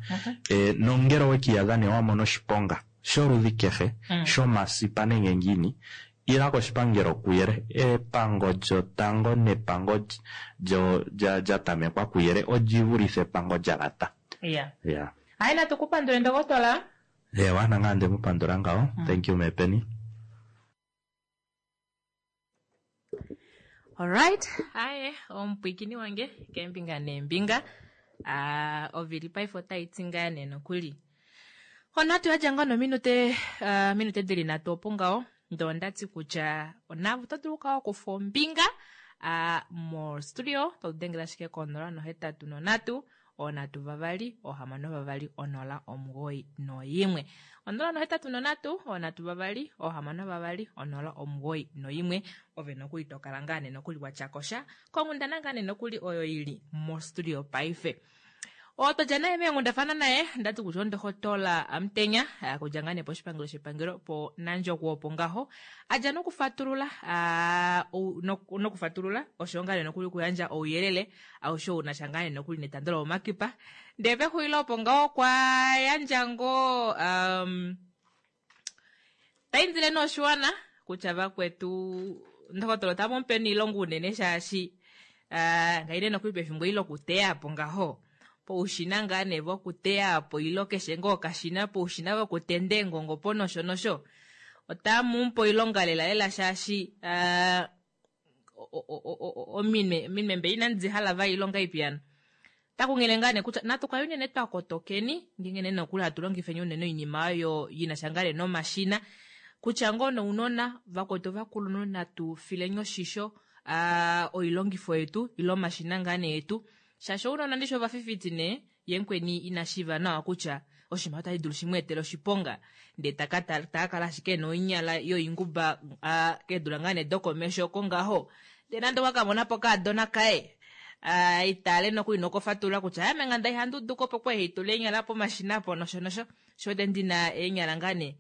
Nongele oweki iyadha nee wa mona oshiponga sholudhi kehe, shomasipa nenge ngiini, ila koshipangelo kuyele. Epango lyotango nepango lya tamekwa kuyele olyi vulithe epango lya lata. Ya. Ya. Hayi natu ku pandule ndokotola. Ewa, nangame onde mu pandula ngawo. Thank you Meepeni. Alright, aye omupwikini wange keembinga neembinga. Ah, ovili paife otai ti ngaa nee nokuli. Onhatu ya dja ngoo nominute ah, minute dili nhatu opo ngaho. Ndee onda ti kutya onaave oto dulu okukala wa kufa ombinga ah, mostudio to dengele ashike ko 083 3 6 2 091. 083 3 6 2 091. Ove nokuli to kala ngaa nee nokuli wa tya ko sha konghundana ngaa nee nokuli oyo i li mostudio paife. Oo twa dja naye meenghundafana naye ndati kutya ondohotola Amutenya okudja ngaa nee poshipangelo shepangelo po Nandjokwe opo ngaho a dja nokufatulula nokufatulula osho ngaa nee nokuli okuyandja ouyelele aushe ou na sha ngaa nee nokuli netando lomomakipa. Ndee pexulilo opo ngaho okwa yandja ngoo um, ta indile nee oshiwana kutya vakwetu ndokotola ota mu pe oilonga unene shaashi uh, ngaine nokuli pefimbo eli lokuteya po ngaho poushina ngaa nee vokuteya po ilo keshe ngoo okashina poushina vokutenda eengongo po nosho nosho ota mu pe oilonga lela lela shaashi uh, ominwe ominwe mbe inandi di hala va ilonga ipi ano takunghele ngaa nee kutya natu kale unene twa kotokeni ngeenge nee nokuli hatu longifeni unene oinima oyo yina sha ngaa nee nomashina kutya ngoo nounona vakwetu ovakulunhu natu fileni oshisho uh, oilongifo yetu ile omashina ngaa nee yetu shaashi ounona ndishi ovafifiti nee ye mukweni ina shiiva nawa kutya oshinima otashi dulu shi mu etele oshiponga ndee ta ka kala ashike ena oinyala yoinguba keedula ngaa nee dokomesho oko ngaho ndee nande okwa ka mona po okaadona kaye itaale nokuli nokufatulula kutya ame nga ihandi udu ko opo kwali haitula eenyala pomashina apo nosho nosho sho wete ndina eenyala ngaa nee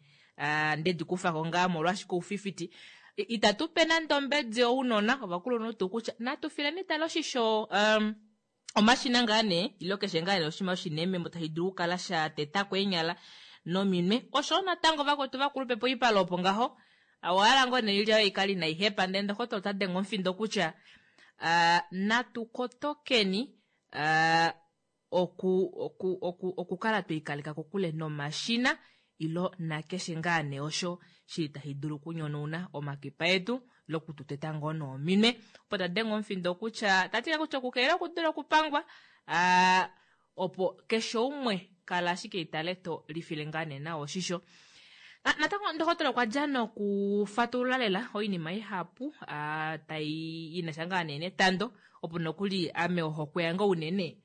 ndedi kufako ngaa molwashike oufifiti itatu pe nande ombedi ounona ovakulunhu tuu kutya natu fileni tale oshisho um, omashina ngaa nee ilo keshe ngaa nee oshinima oshinemembo tashi dulu okukala sha teta ko eenyala nominwe oshowo natango vakwetu vakulupe poipale opo ngaho owahala ngoo nee oilya yoye ikale inai hepa ndele ndokotola ota denge omufindo kutya uh, natu kotokeni uh, oku, oku, oku, okukala twiikaleka kokule nomashina ilo nakeshe ngaa nee osho shili tashi dulu okunyonauna omakipa etu lokututeta ngoo noominwe. Opo ta denge omufindo kutya ta ti kutya okukelela okudula okupangwa aa opo keshe umwe kala ashike itale to lifile ngaa nee nawa oshisho. Natango ndokotola okwa dja nokufatulula lela oinima ihapu tai ina sha ngaa nee netando opo nokuli ame ohokwe yange unene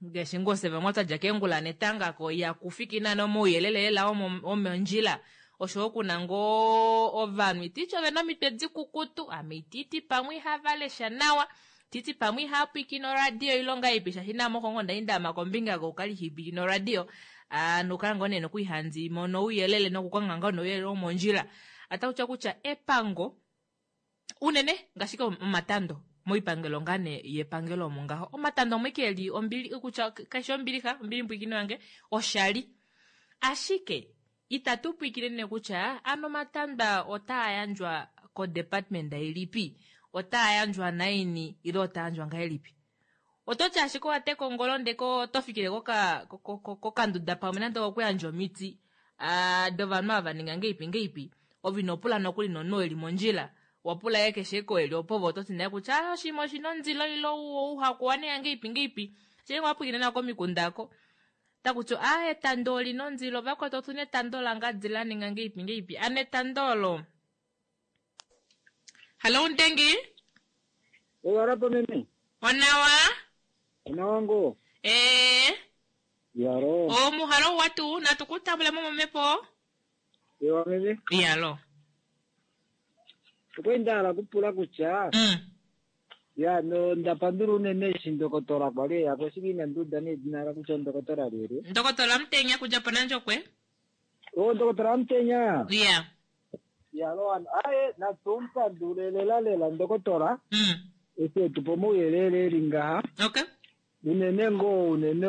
ngaashi ngoo fye vamwe twa dja keengula netanga ko ihaku fiki naana omauyelele lela omondjila oshowo kuna ngoo ovanhu ititi ovena omitwe dikukutu ame ititi pamwe ihava lesha nawa titi pamwe ihava pwiikine oradio ilonga ipi shaashi naame oko ngoo ndali ndaama kombinga kokukala ihipwiikine oradio nokukala ngoo nee nokuli handi mono ouyelele nokukonga ngoo nouyelele womondjila otakutya kutya epango unene ngaashi omatando moipangelo ngaa nee yepangelo omo ngaho omatando omwe ke li ombili kutya kaishi ombilixa ombili mbwikino yange oshali ashike itatu pwikile nee kutya ano omatanda otaa yandjwa kodepartment ilipi otaa yandjwa naini ile otaa yandjwa ngahelipi oto ti ashike owa teka ongolo ndee oto fikile kokanduda pamwe nande okuyandja omiti dovanhu ava ninga ngeipi ngeipi ove ino pula nokuli nomunhu eli mondjila wapula ye keshe ko eli opo ove oto ti naye kutya ah, oshinima oshina ondilo ile ouhaku wa ninga ngeipi ngeipi shenge wapwilikine nawa komikunda ko taku ti ah etando olina ondilo vakwetu otuna etando langadi la ninga ngeipi ngeipi ano etando olo Hallo Ntengi. Owarapo meme. Onawa. Onawa ngo. Eh. Yaro. O muhalo watu natu kutambula mo momepo. Ewa meme. Yalo. Okwali nda hala okupula kutya Mm. ya no ndapandula unene eshi ndokotola kwali eya ko shike inandi uda nedina la kutya ondokotola lyelye. Ndokotola Mutenya kudja pOnandjokwe. O ndokotola Mutenya. Yeah. Yalo ano aye natu mupandule lela lela ndokotola. Mm. Eshi etupa omauyelele eli ngaha. Okay. Unene ngoo unene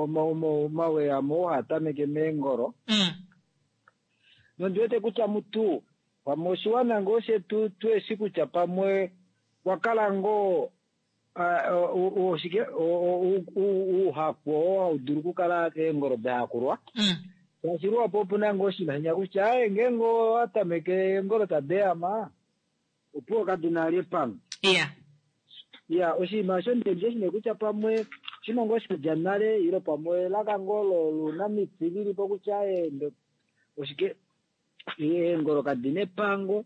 omaweyamo oo haa tameke meengolo. Nondi wete kutya mutu pamwe oshiwana ngoo shetu tueshi kutya pamwe kwa kala ngoo oshike ouhaku oo hau dulu okukala eengolo da hakulwa. Shaashi luhapu opu na ngoo oshinima shinya kutya aye ngeenge owa tameke eengolo tadi ehama opuwo kadi na vali epango. Iya. Iya, oshinima osho ndi shi nee kutya pamwe oshinima ngoo sha dja nale ile pamwe elaka ngoo lounamiti lili po kutya aye oshike eengolo kadi na epango.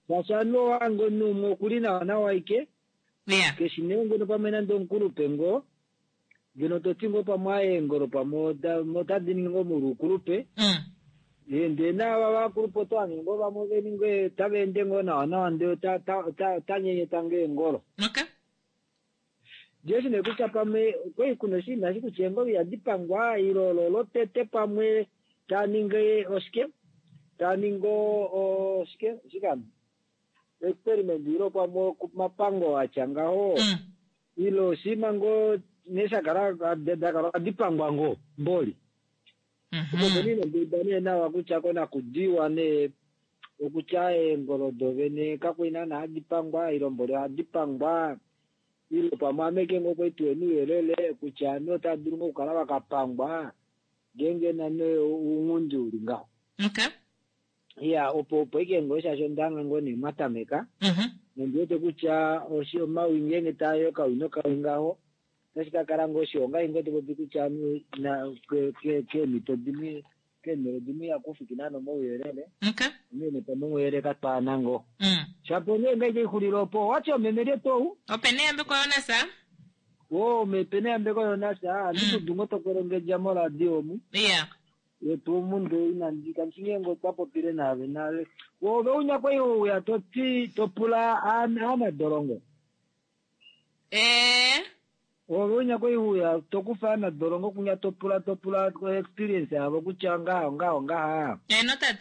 Shaashi ovanhu owange omunhu umwe okuli nawa nawa aike. Yeah. Keshi nee ngeno pamwe nande omukulupe ngoo ngeno toti ngoo pamwe aye eengolo pamwe otadi ningi ngoo molwoukulupe. Ndee naava vakulupe oto hange ngoo vamwe veli tava ende ngoo nawa nawa ndee ota nyenyeta ngoo eengolo. Okay. Ndiye shi nee kutya pamwe okwali kuna oshinima eshi kutya eengolo ihadi pangwa ile olo lotete pamwe taa ningi oshike taa ningi oshike oshike hano experiment ile pamwe omapango atya ngaho ile oshinima ngoo nghee sha kala dakala ohadi pangwa ngoo mboli. Opo peni nonduda nee nawa kutya konakudiwa nee okutya eengolo dovene kakwali naana hadi pangwa ile mboli ohadi pangwa ile pamwe ameke ngoo kwali tuhena ouyelele kutya ovanhu otava dulu ngoo okukala vakapangwa ngeenge nane ounghundi uli ngaho. Okay. Iya, opo opo ike ngoo shaashi ondanga ngoo nee mwatameka. Nondi wete kutya omawi ngeenge taa okawi nokawi ngaho otashi ka kala ngoo shiwa ongaashi ngoo topopi kutya keemhito dimwe keenhele dimwe ihaku fiki naana omauyelele. Okay. Onghee pamwe omauyelele katwaana ngoo. Shapo nee ngaike ixulile opo owati omeme lyetu. Ope neyambeko Jonas. Oo mepe neyambeko Jonas. Andi kudu ngoo tokolongedja moradio omu. Yeah. Yetu omundu inandi kanshi ngeenge otwa popile naave nale. Ove unya kwai uya toti topula aanadolongo. Ove unya kwai uya tokufa aanadolongo kunya topula topula experience yavo kutya ngaha ngaha ngaha. No tata.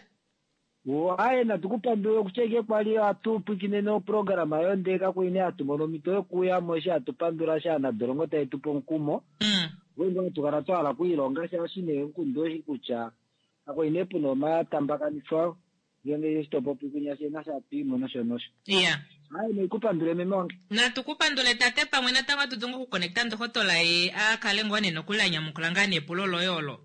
Aye natukupandule kutya ike kwali hatu pwikinene oprograma yo ndee kakwali nee hatu mono omhito yokuyamo eshi hatu pandula sha aanadolongo tae tupe omukumo. Ngenge hatu kala twa hala okwiilonga shaashi nee omukundu oshi kutya kakwali nee puna omatambakanifo ngenge eshi topopi kunya shena shatwiimo nosho nosho. Yeah. Aye naikupandule meme wange. Natukupandule tate pamwe natango hatu dulu okukonekta ndohotola ye akale ngoo nee nokuli anyamukula ngaa nepulo loye olo.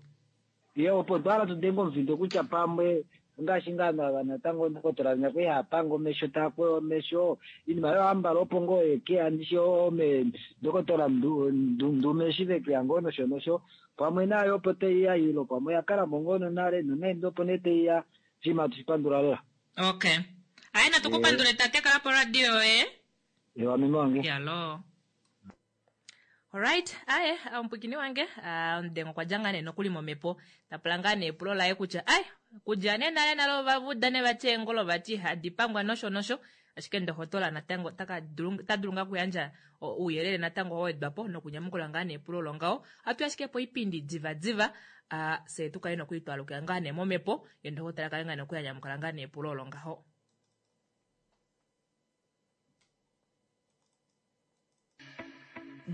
Ye opo twa hala tudenge omufindo kutya pamwe ngaashi ngaa nava natango ndokotola nya kwali hapanga omesho taakweya omesho inima yohambala opo ngoo yekeya ndishi ome ndokotola ndume eshi vekeya ngoo nosho nosho pamwe nayo opo taiya ilo pamwe oyakalamo ngoo nonale nonande opo nee taiya oshinima hatu shipandula lela. Okay. Aye natukupandule tate kala po radio yoye. Ewa meme wange. Yalo. Alright, aye omupwikini wange omudengo okwa dja ngaa nee nokuli momhepo tapula ngaa nee epulo laye kutya aye kudja nee nale nale ovavuda ne vati eengolo vati ihadi pangwa nosho nosho ashike ndohotola natango ota dulu ngaa okuyandja ouyelele natango wa wedwa po nokunyamukula ngaa nee epulo olo ngaho. Ohatu ashike po oipindi diva diva fye tu kale nokuli twalukila ngaa nee momhepo ye ndohotola kale ngaa nee okuyanyamukula ngaa nee epulo olo ngaho.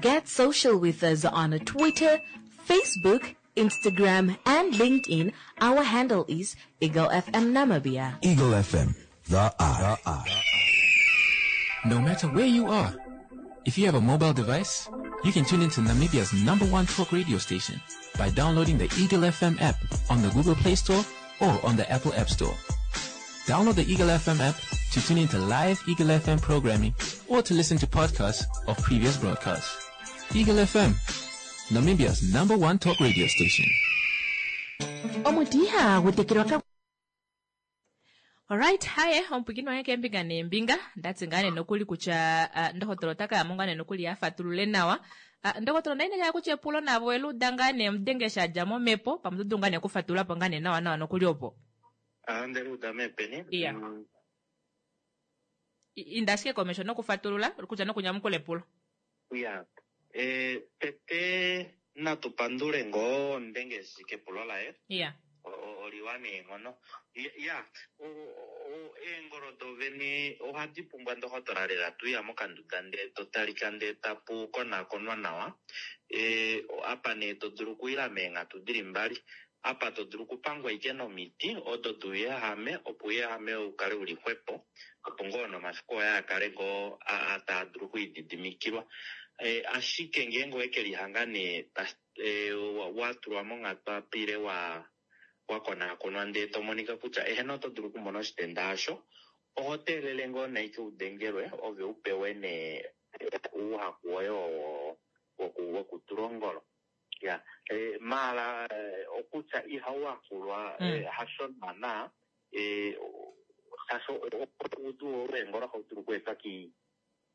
Get social with us on Twitter, Facebook, Instagram, and LinkedIn. Our handle is Eagle FM Namibia. Eagle FM, the eye. No matter where you are, if you have a mobile device, you can tune into Namibia's #1 talk radio station by downloading the Eagle FM app on the Google Play Store or on the Apple App Store. Download the Eagle FM app to tune into live Eagle FM programming or to listen to podcasts of previous broadcasts. Eagle FM, Namibia's #1 talk radio station. Omuti ihagu tekelwa ka Alright, haye omupwikini wange keembinga neembinga ndatsi ngaa nee nokuli kutya ndohotola ota kaya mo ngaa nee nokuli afatulule nawa. Ndohotola onda inekela kutya epulo navo eluuda ngaa nee omudenge sha dja momhepo pamwe oto dulu ngaa nee okufatulula po ngaa nee nawa nawa nokuli opo. Ndeluuda meepeni. Iya. Inda ashike komesho nokufatulula kutya nokunyamukula epulo. Iya. Tete natu pandule ngoo omudenge kepulo laye. Iya. Oliwa neenghono. Ya, eengolo dovene ohadi pumbwa ndohotola lela tuya mokanduda ndee to talika ndee tapu konakonwa nawa. Apa nee to dulu okuila meenghatu dili mbali. Apa to dulu okupangwa ike nomiti odo douyehame opo ouyehame ukale uli xwepo, opo ngoo nomafiku oye akale ngoo taa dulu okwiididimikilwa. Ashike ngeenge oweke lihanga nee watulwa monghatu apa ile wakonakonwa ndee to monika kutya eheno oto dulu okumona oshitenda osho, oho teelele ngoo naike udengelwe ove upewe nee ouhaku woye oo wokutula ongolo. Ya, maala okutya ihauhakulwa hasho naana, shaashi oudu weengolo ohau dulu okweetwa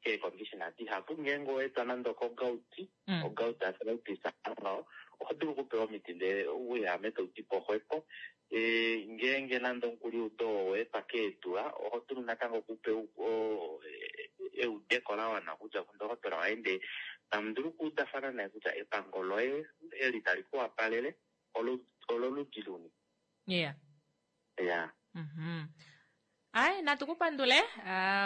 keecondition dihapu. Ngeenge owaetwa nande okogout, ogout arthritis ngaho, oho dulu okupewa omiti ndee ouyehame tau ti po xwepo. Ngeenge nande omukuliudo oo owaetwa keedula, oho dulu natango okupewa eudeko la wana okudja kundohotola waye ndee tamu dulu okuudafana naye kutya epango loye eli tali ku wapalele ololudi luni. Yeah. Yeah. Ai, natu ku pandule.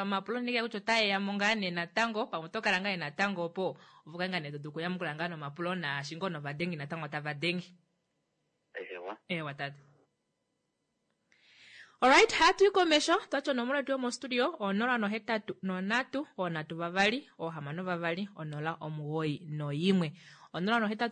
Omapulo nike kutya otae ya mo ngaa nee natango, pamwe oto kala ngaa natango opo opo ngaa nee to dulu okuyamukula ngaa nomapulo naashi ngoo novadengi natango tava denge. Ewa. Ewa tate. Alright, hatu i komesho twati onomola yetu yomostudio 083 3 2 6 91. 083 3 2 6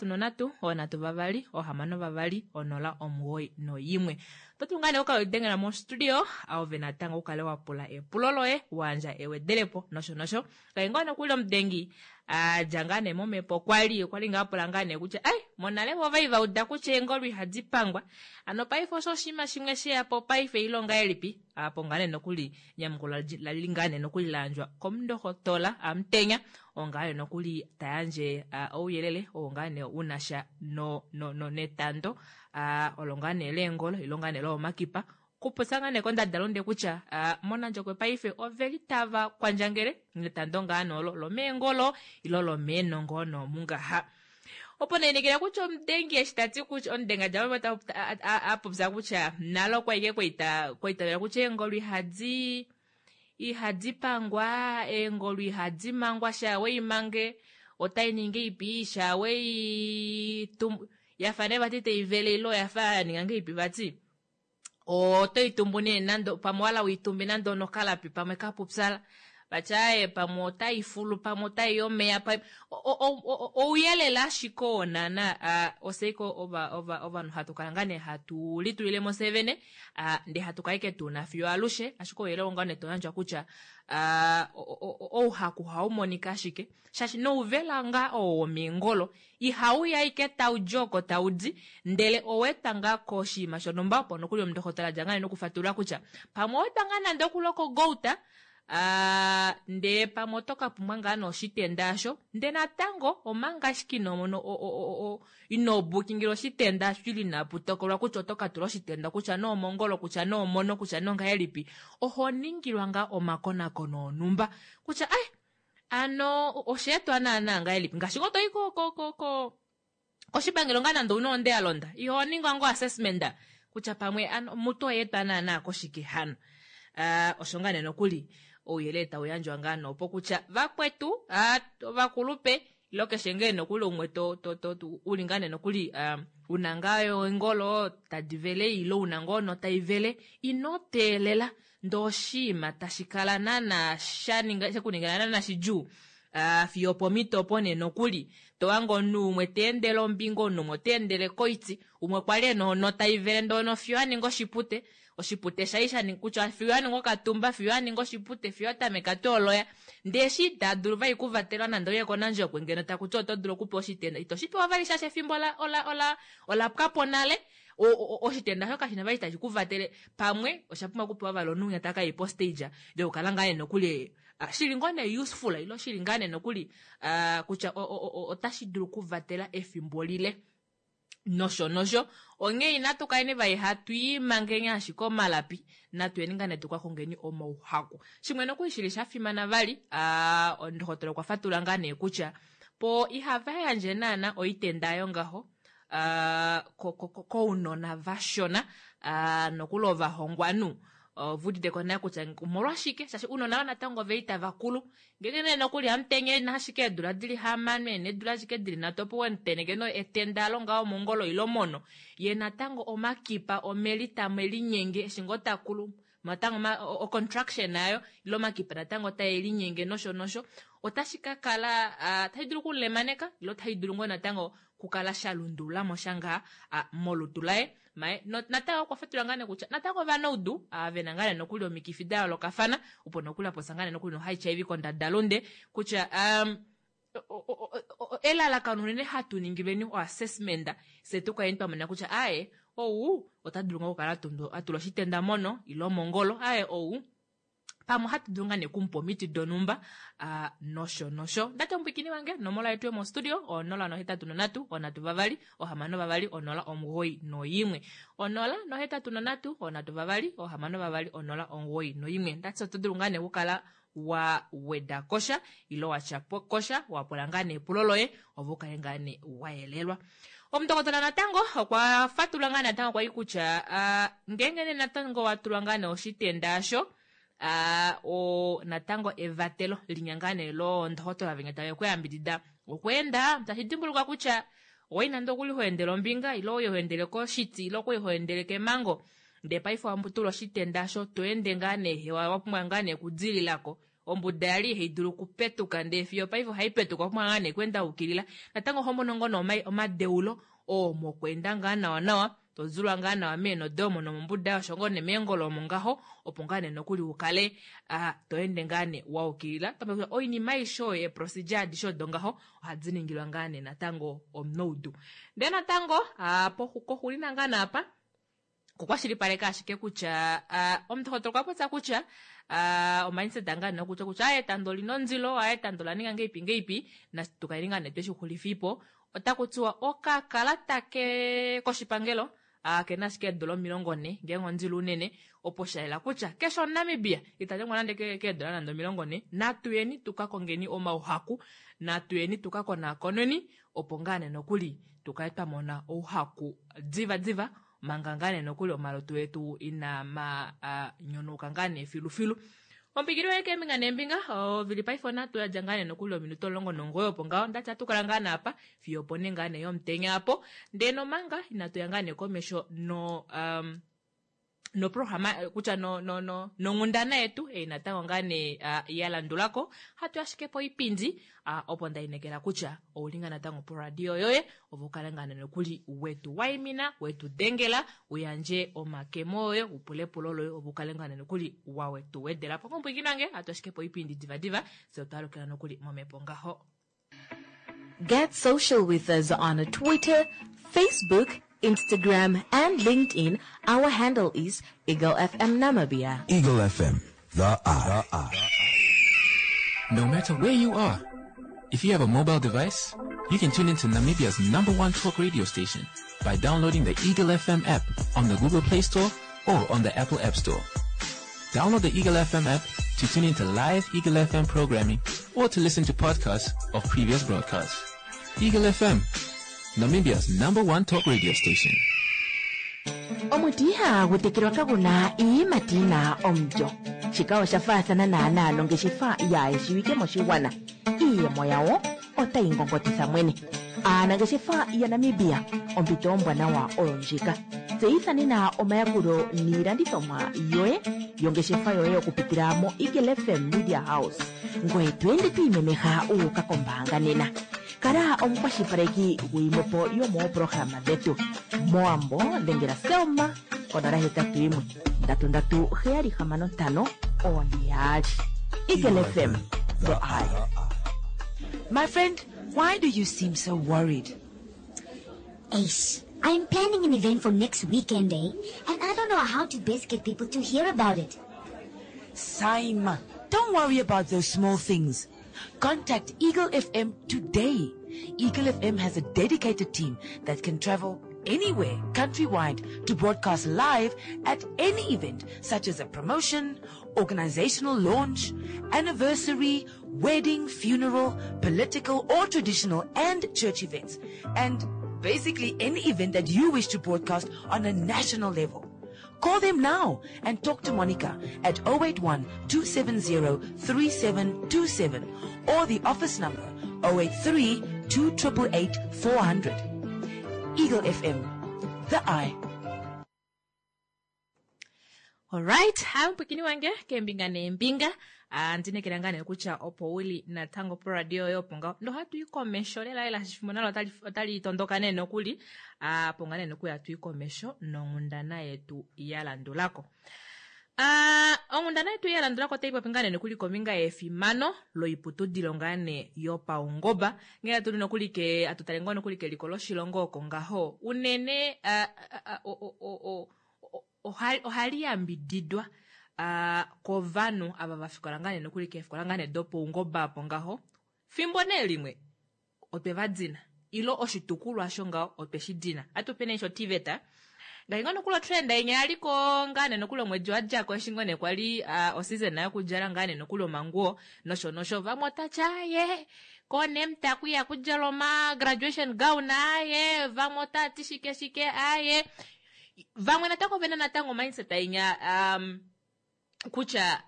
91. Oto dulu ngaa nee okukala dengela mostudio ove natango ukale wa pula epulo loye, wayandja ewedelepo nosho nosho. Kai ngoo nokuli omudengi adja ngaa nee momhepo okwali ngaa pula ngaa nee kutya ai monale vo ovai va uda kutya eengolo ihadi pangwa, hano paife osho oshinima shimwe sheya po paife ilonga elipi apo ngaa nee nokuli nyamukulo lali ngaa nee nokuli layandjwa komundohotola Amutenya oo ngaa nee nokuli tayandje ouyelele oo ngaa nee unasha netando olo ngaa nee leengolo ilo ngaa nee loomakipa kupopya ngaa nee kondadalunde kutya mOnandjokwe paife oveli tava kwandjangele netando ngaa nee olo lomeengolo ilo lomeenongo noomungaha. Opo nee nekela kutya omudengi eshi tati kutya omudengi adja a popya kutya nale okwa ike kwaitavela kutya eengolo ihadi pangwa, eengolo ihadi mangwa, sha weimange otai ningi ipi, sha wei yafa nee vati taivele ilo yafa yaninga ngeipi vati. Oto itumbu nee nando pamwe wala uitumbe nando nokalapi pamwe kapupyala vati aaye pamwe otaifulu pamwe otai omeya ouyelele ashike oo naana oseiko ovanhu hatu kala ngaa nee hatu litulilemo fye vene ndee hatu kala ike tuna fiyo alushe, ashike ouyelele oo ngaa nee toyandjwa kutya ouhaku ohau monika ashike shaashi nouvela ngaa oo womeengolo ihauya ashike taudi oko taudi ndele owetwa ngaa koshinima shonhumba opo nokuli omundohotola adja ngaa nokufatulula kutya pamwe owetwa ngaa nande okuloko gouta ndee pamwe oto ka pumbwa ngaa noshitenda asho ndee natango omanga ashike ino mono ino bukingila oshitenda asho ili inapu tokolwa kutya oto ka tula oshitenda kutya noomongolo kutya noomono kutya nongahelipi oho ningilwa ngaa omakonakono onhumba kutya ai ano osheetwa naana ngahelipi ngaashi ngoo toyi koshipangelo ngaa nande ouna onde ya londa iho ningwa ngoo assessment kutya pamwe ano mutu oyeetwa naana koshike hano. Osho ngaa nee nokuli ouyelele tau yandjwa ngaa noopo kutya vakwetu ovakulupe ilo keshe ngee nokuli umwe uli ngaa nee nokuli una ngaa eengolo tadi vele ilo una ngoo notaivele ino teelela ndee oshinima tashi kala naana shekuningila naana shidjuu fiyo pomhito opo nee nokuli tohange omunhu umwe teendele ombinga omunhu umwe oteendele koiti umwe kwali ena ono taivele ndee ono fiyo aninga oshipute oshipute shai shaninga kutya fiyo aninga okatumba fiyo aninga oshipute fiyo atameka tooloya ndee eshi ita dulu vali okuvatelwa nande ouye kOnandjokwe ngeno takuti oto dulu okupewa oshitenda ito shi pewa vali shaashi efimbo ola pwapo nale oshitenda osho kashina vali tashi kuvatele pamwe osha pumbwa okupewa vali omunhu winya taka i postage yokukala ngaa nee nokuli shili ngoo nee useful ilo shili ngaa nee nokuli kutya otashi dulu okuvatela efimbo lile nosho nosho. Onghee inatu kaleni vali hatu imangeni ashike omalapi, natuyeni ngaa nee tuka kongeni omauhaku. Shimwe nokuli shili sha fimana vali, ndohotola okwa fatulula ngaa nee kutya po ihava yandje naana oitenda yongaho. Kounona vashona nokuli ovahongwanhu ove uditeko naye kutya omolwashike shaashi ounona ava natango oveli tava kulu ngeenge nee nokuli hamutenya ena ashike eedula dili hamano ena eedula ashike dili nhatu opo wemuteneke no etenda alo ngaho mongolo ile mono ye natango omakipa omeli tamwe linyenge eshi ngoo takulu natango o-contraction ayo ile omakipa natango tae linyenge nosho nosho otashi ka kala tashi dulu okulemaneka ile otashi dulu ngoo natango kukala sha lundulula mo sha ngaa molutu laye maye natango okwa fatula ngaa nee kutya natango ovanaudu ve na ngaa nee nokuli omikifi da yoolokafana opo nokuli apopya ngaa nee nokuli no-HIV kondadalunde kutya um, elalakano unene hatu ningilweni oassessment fye tu kaleni twa mona kutya aaye ou ota dulu ngoo okukala a tulwa oshitenda mono ile omongolo aaye ou pamwe ohatu dulu ngaa nee okumupa omiti donhumba nosho nosho. Ndati omupwikini wange nomola yetu yomostudio o 083 3 6 2 0 91 083 3 6 2 0 91. Ndati oto dulu ngaa nee okukala wa weda kosha ile wa tya kosha wa pula ngaa nee epulo loye ove u kale ngaa nee wa yelelwa. Omundokotola natango okwa fatulula ngaa natango kwali kutya ngeenge nee natango wa tulwa ngaa nee oshitenda osho o natango evatelo linya ngaa nee loondohotola venya tave ku yambidida okweenda tashi dimbuluka kutya owai nande okuli ho endele ombinga ile oye ho endele koshiti ile okwali ho endele kemango ndee paife wa tulwa oshitenda osho to ende ngaa nee hewa wa pumbwa ngaa nee okudililako ombuda yali ihai dulu okupetuka ndee fiyo paife ohai petuka wa pumbwa ngaa nee okweenda ukilila natango oho mono ngoo nee omadeulo oo mokweenda ngaa nawa nawa to zulwa ngaa nawa meenho doye omo nomombuda osho ngoo nee meengolo omo ngaho opo ngaa nee nokuli u kale to ende ngaa nee wa ukilila oinima aishe oyo eeprocedure adishe odo ngaho ohadi ningilwa ngaa nee natango omunoudu ndee natango koxulina ngaa nee apa okukwashilipaleka ashike kutya omundohotola okwa popya kutya omindset ngaa nee okutya kutya etando olina ondilo, etando ola ninga ngeipi ngeipi, natu kaleni ngaa nee tweshi xulifiipo. Otaku tiwa okakalata ke koshipangelo kena ashike eedola 40 ngeenge ondilo unene, opo sha yela kutya keshe omuNamibia ita dengwa nande keedola nande 40. Natu yeni tu ka kongeni omauhaku, natu yeni tu ka konaakoneni opo ngaa nee nokuli tu kale twa mona ouhaku diva diva manga ngaa nee nokuli omalutu etu inaa ma nyonauka ngaa nee filufilu. Ompikili yoye keembinga neembinga ovili paife onhatu ya dja ngaa nee nokuli ominute 19 opo ngaho ndati ohatu kala ngaa naapa fiyo opo nee ngaa nee yomutenya apo ndee nomanga inatu ya ngaa nee komesho no um, noprograma kutya no, no, no, nonghundana yetu ei natango ngaa nee ya landulako hatu ashike poipindi opo nda inekela kutya ouli ngaa natango poradio yoye opo ukale ngaa nee nokuli wetu waimina wetu dengela uyandje omakemo oye upule epulo loye opo ukale ngaa nee nokuli wawetu wedela po ngompwikini wange hatu ashike poipindi divadiva fye otwa alukila nokuli momhepo ngaho. Get social with us on Twitter, Facebook, Instagram, and LinkedIn. Our handle is Eagle FM Namibia. Eagle FM, the eye. No matter where you are, if you have a mobile device, you can tune into Namibia's number one talk radio station by downloading the Eagle FM app on the Google Play Store or on the Apple App Store. Download the Eagle FM app to tune into live Eagle FM programming or to listen to podcasts of previous broadcasts. Eagle FM, Namibia's number one talk radio station. Omuti ihagu tekelwa kagu na iiyimati yi na omulyo. Shika osha faathana naanaa nongeshefa yaa shiwike moshigwana. Iiyemo yawo otayi ngongotitha mwene. Aanangeshefa yaNamibia, ompito ombwanawa oyo ndjika. Tseyitha nena omayakulo niilandithomwa yoye yongeshefa yoye okupitila moEagle FM Media House. Ngoye to ende to imemeha wu uka kombaanga nena. Kala omukwashilipaleki guyimwepo yomooprograma dhetu. Mowambo dhengela Selma ko 081 337 6542. Eagle FM, the eye. My friend, why do you seem so worried? Ace, I'm planning an event for next weekend, eh? And I don't know how to best get people to hear about it. Saima, don't worry about those small things. Contact Eagle FM today. Eagle FM has a dedicated team that can travel anywhere countrywide to broadcast live at any event such as a promotion, organizational launch, anniversary, wedding, funeral, political or traditional and church events. And Basically, any event that you wish to broadcast on a national level. Call them now and talk to Monica at 081 270 3727 or the office number 083 288 400. Eagle FM, the eye. Alright, hamupwikini wange keembinga neembinga. Ah, ndinekela ngaa nee kutya opo uli natango poradio yoye opo ngaho nohatu i komesho lela lela shifimbo nalo otali tondoka nee nokuli. Ah, opo ngaa nee nokuli hatu i komesho nonghundana yetu ya landulako. Ah, onghundana yetu ya landulako otai popi ngaa nee nokuli kombinga yefimano loiputudilo ngaa nee yopaungoba. Ngee hatu li nokuli ke hatu tale ngoo nokuli keliko loshilongo oko ngaho unene ah, ah, o, o, o, o, ohali yambididwa kovanhu ava va fikola ngaa nee nokuli keefikola ngaa nee dopaungoba apo ngaho. Fimbo nee limwe otwe va dina ilo oshitukulwa osho ngaho otwe shi dina. Atu pe nee shoTVET. Ngaashi ngoo nokuli otrend inya ya liko ngaa nee nokuli omwedi wa dja ko eshi ngoo nee kwali oseason yokudjala ngaa nee nokuli omanguwo nosho nosho. Vamwe otati aaye koNEMTA kwiya kudjalwa oma graduation gown aaye, vamwe otati shike shike aaye. Vamwe natango ovena natango mindset inya um, kutya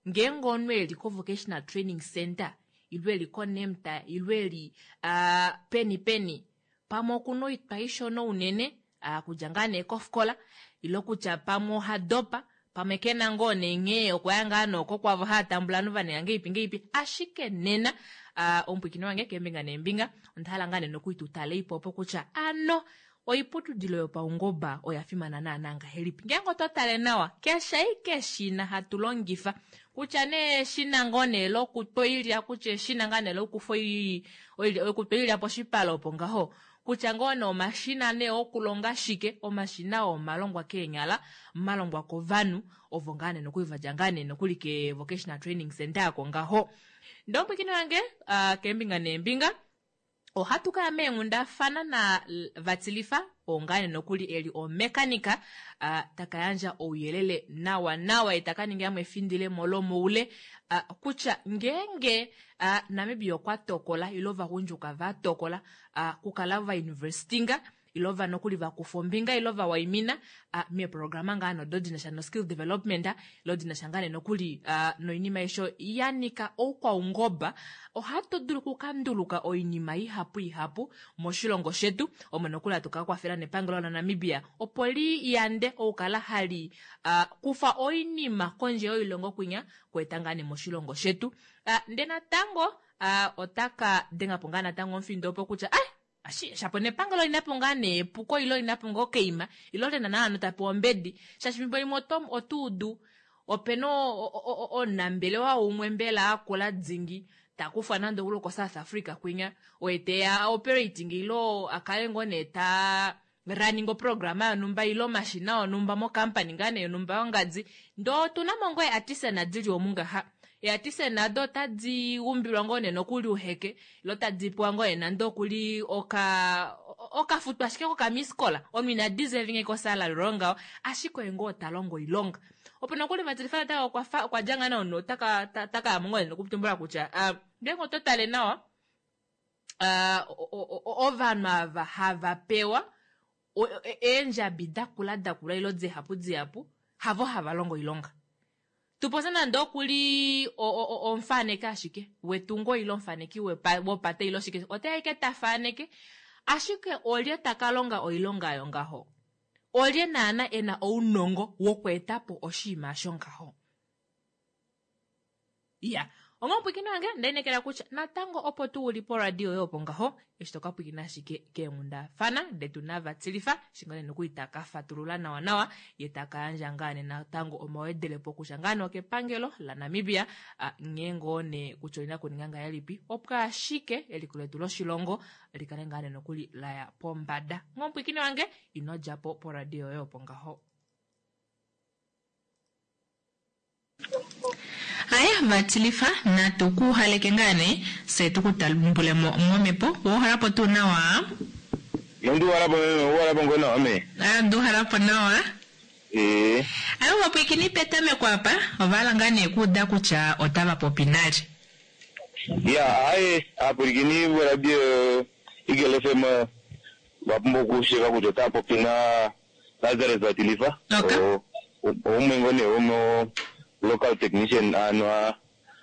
ngeenge omunhu eli ko vocational training center ilo eli ko NEMTA ilo eli uh, peni peni pamwe okuna oitwa ishona unene uh, kudja ngaa nee kofikola ilo kutya pamwe oha dopa pamwe kena ngoo nee nghee okwaya ngaa nooko kwavo haa tambula ovanhu vaninga ngeipi ngeipi ashike nena uh, omupwikini wange keembinga neembinga onda hala ngaa nee nokuli tu tale ipo opo kutya ano Oiputudilo yopaungoba oya fimana naanaa ngahelipi? Ngeenge otwa tale nawa, keshe ashike eshina hatu longifa, kutya nee eshina ngoo nee lokutwa oilya, kutya eshina ngaa nee lokufa oilya, okutwa oilya poshipale opo ngaho, kutya ngoo nee omashina nee okulonga shike, omashina oo omalongwa keenyala, malongwa kovanhu ovo ngaa nee nokuli va dja ngaa nee nokuli ke vocational training centre ako ngaho. Ndee omupwiikini wange, keembinga neembinga, Ohatu kaya meenghundafana na Vatilifa oo ngaa nee nokuli eli omekanika taka yandja ouyelele nawa nawa ye taka ninga yamwe efindilemo lomoule kutya ngeenge Namibia okwa tokola ile ovagundjuka va tokola kukala va investinga ile va nokuli va kufa ombinga ile va waimina meeprograma ngaa nodo di na sha no-skill development ile di na sha ngaa nee nokuli noinima aishe ya nyika oukwaungoba, ohatu dulu okukanduluka oinima ihapu ihapu moshilongo shetu, omo nokuli hatu ka kwafela nepangelo laNamibia opo li yande okukala hali kufa oinima kondje yoilongo kwinya kweeta ngaa nee moshilongo shetu. Ndee natango ota ka denga po ngaa natango omufindo opo kutya ah, Ashi, shapo nepangelo olina po ngaa nee epuko ile olina po ngoo okaima ile olina naana ta pewa ombedi shaashi fimbo limwe oto oto udu opena omunambelewa umwe mbela akula dingi ta kufwa nande okuli oko South Africa kwinya oye teya operating ile akale ngoo nee ta running oprograma yonhumba ile omashina onhumba mo company ngaa nee yonhumba yongadi ndee otuna mo ngoo eeartisan dili omu ngaha. Eeartisan ado otadi umbilwa ngoo nee nokuli uheke ile otadi pewa ngoo nee nande okuli oka okafutwa ashike kokamiskola omunhu ina deserving ko salary olo ngaho ashike oye ngoo ta longo oilonga. Opo nokuli Vatilifa natango okwa fa okwa dja ngaa nee omunhu otaka taka ya mo ngoo nee nokutumbula kutya ngeenge oto tale nawa ovanhu ava hava pewa eendjabi dakula dakula ilo dihapu dihapu havo hava longo oilonga. Tupopye nande oku li omufaneki ashike wetungo ile omufaneki wopate ile oshike, ote ya ashike ta faneke, ashike olye ta ka longa oilonga oyo ngaho? Olye naana e na ounongo wokweeta po oshinima osho ngaho? Iya, onghee omupwiikini wange onda inekela kutya natango opo tuu uli poradio yoye opo ngaho eshi to ka pwiikina ashike keenghundafana detu naVatilifa Shingane nokuli ta ka fatulula nawa nawa ye ta ka yandja ngaa nee natango omawedelepo kutya ngaa nee okepangelo laNamibia nghee ngoo nee kutya olina kuninga ngahelipi opo ashike eliko letu loshilongo li kale ngaa nee nokuli la ya pombada. Onghee omupwiikini wange ino dja po poradio yoye opo ngaho. Aya Vatilifa, natu ku haleke ngaa nee, fye tu ku tambule mo momhepo. Owa uhala po tuu nawa? Nondi uhala po meme, owa uhala po ngoo nawa me? Aa, onda uhala po nawa. Ee. Aya ovapwiikini petameko apa, ova hala ngaa nee okuuda kutya otava popi nalye. Ya, aaye, aapwilikini voradio Eagle FM. Ovapumbwa okushiiva kutya otava popi na Lazarus Vatilifa. Oumwe ngoo nee womo local technician ano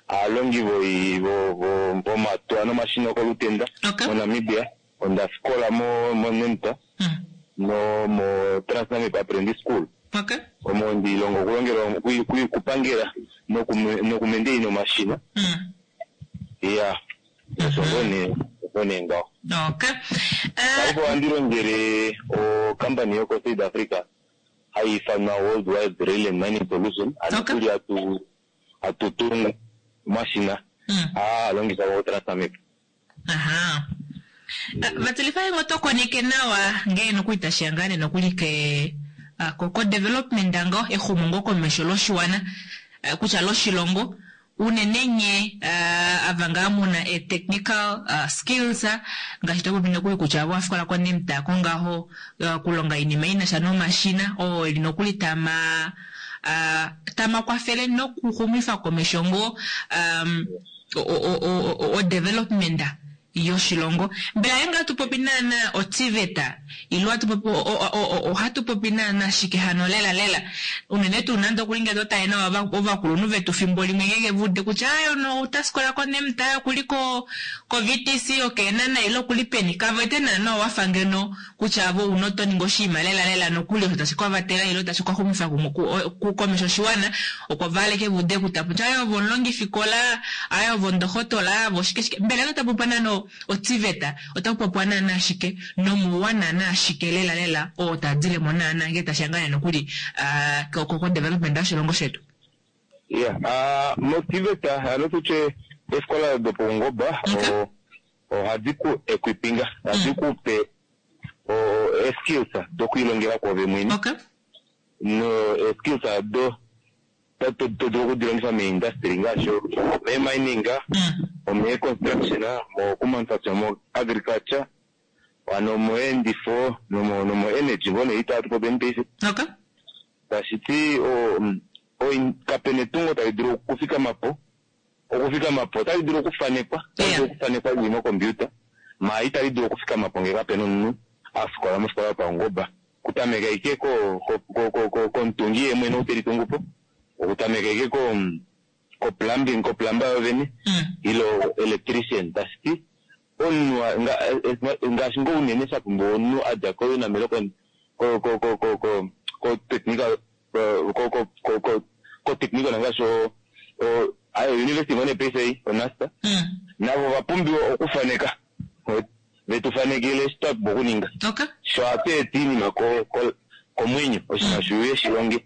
aalongi vomatuwa nomashina okolutenda moNamibia. Onda fikola moNEMTA nomo TransNamib Apprentice School. Omo ndiilonga okulongela okupangela nokumendeina omashina. Iya, osho ngoo nee ngaho. Paife ohandi longele ocompany yokoSouth Africa hai ifanwa World Wide Rail and Mining Solution. Ano tuli hatu tungu omashina aa halongifwa koTransNamib. Aha. Vatilifa ingo to koneke nawa ngee nokuli tashiya ngaa nee nokuli ke ko development ngo exumo ngo komesho loshiwana kutya loshilongo unene nye ava ngaa muna e technical skills ngaashi to popi nokuli kutya ove wafikola ko NIMTA ko ngaho kulonga oinima inasha nomashina oo eli nokuli tama tama kwafele nokuxumifa komesho ngoo o development yoshilongo. Mbela ngeenge ohatu popi naana oTVET ile ohatu popi ohatu popi naana shike hano lela lela? Unene tuu nande okuli ngee to tale nawa ovakulunhu vetu fimbo limwe ngeenge va ude kutya aaye ono ota fikola koNEMTA, okuli koVTC, okEenhana ile okuli peni, kave wete naana wafa ngeno kutya ove ouna oto ningi oshinima lela lela nokuli osho tashi ka vatela ile tashi ka xumifa komesho oshiwana, oko va aleke va ude kutya kutya aaye ove omulongifikola, aaye ove ondohotola, aaye ove oshike shike. Mbela ngee otapu popiwa naana oTVET, otapu popiwa naana shike nomouwa naana shike lela lela oo taa dile mo naana ngee tashi ya ngaa nee nokuli kodevelopment yoshilongo shetu? Iya, moTVET hano tutye eefikola dopaungoba ohadi ku equipinga, ohadi ku pe skills dokwiilongela kwoove mwene. No skills ado to dulu okudilongifa meindustry ngaashi mee-mining, omee-construction, mokumanufacture, mo-agriculture, hano moyeendifo nomo-energy ngoo nee ita hatu popi paife. Tashi ti kape na etungo tali dulu okufikama po, okufikama po otali dulu okufanekwa, otali dulu okufanekwa lili mokompiuta, maar itali dulu okufikama po ngee kape na omunhu a fikola mofikola yopaungoba. Okutameka ashike komutungi yee mwene ou teli tungu po, okutameka ashike ko plumbing, koplumber yoovene, ile electrician. Tashi ti omunhu ngaashi ngoo unene sha pumbiwa omunhu a dja koUNAM ile ko technical, ko technical ngaashi university ngoo nee paife ei, oNUST, navo ova pumbiwa okufaneka, vetu fanekele eshi twa pumbwa okuninga. Sho ohatu eta oinima komwenyo, oshinima shiuye shilonge.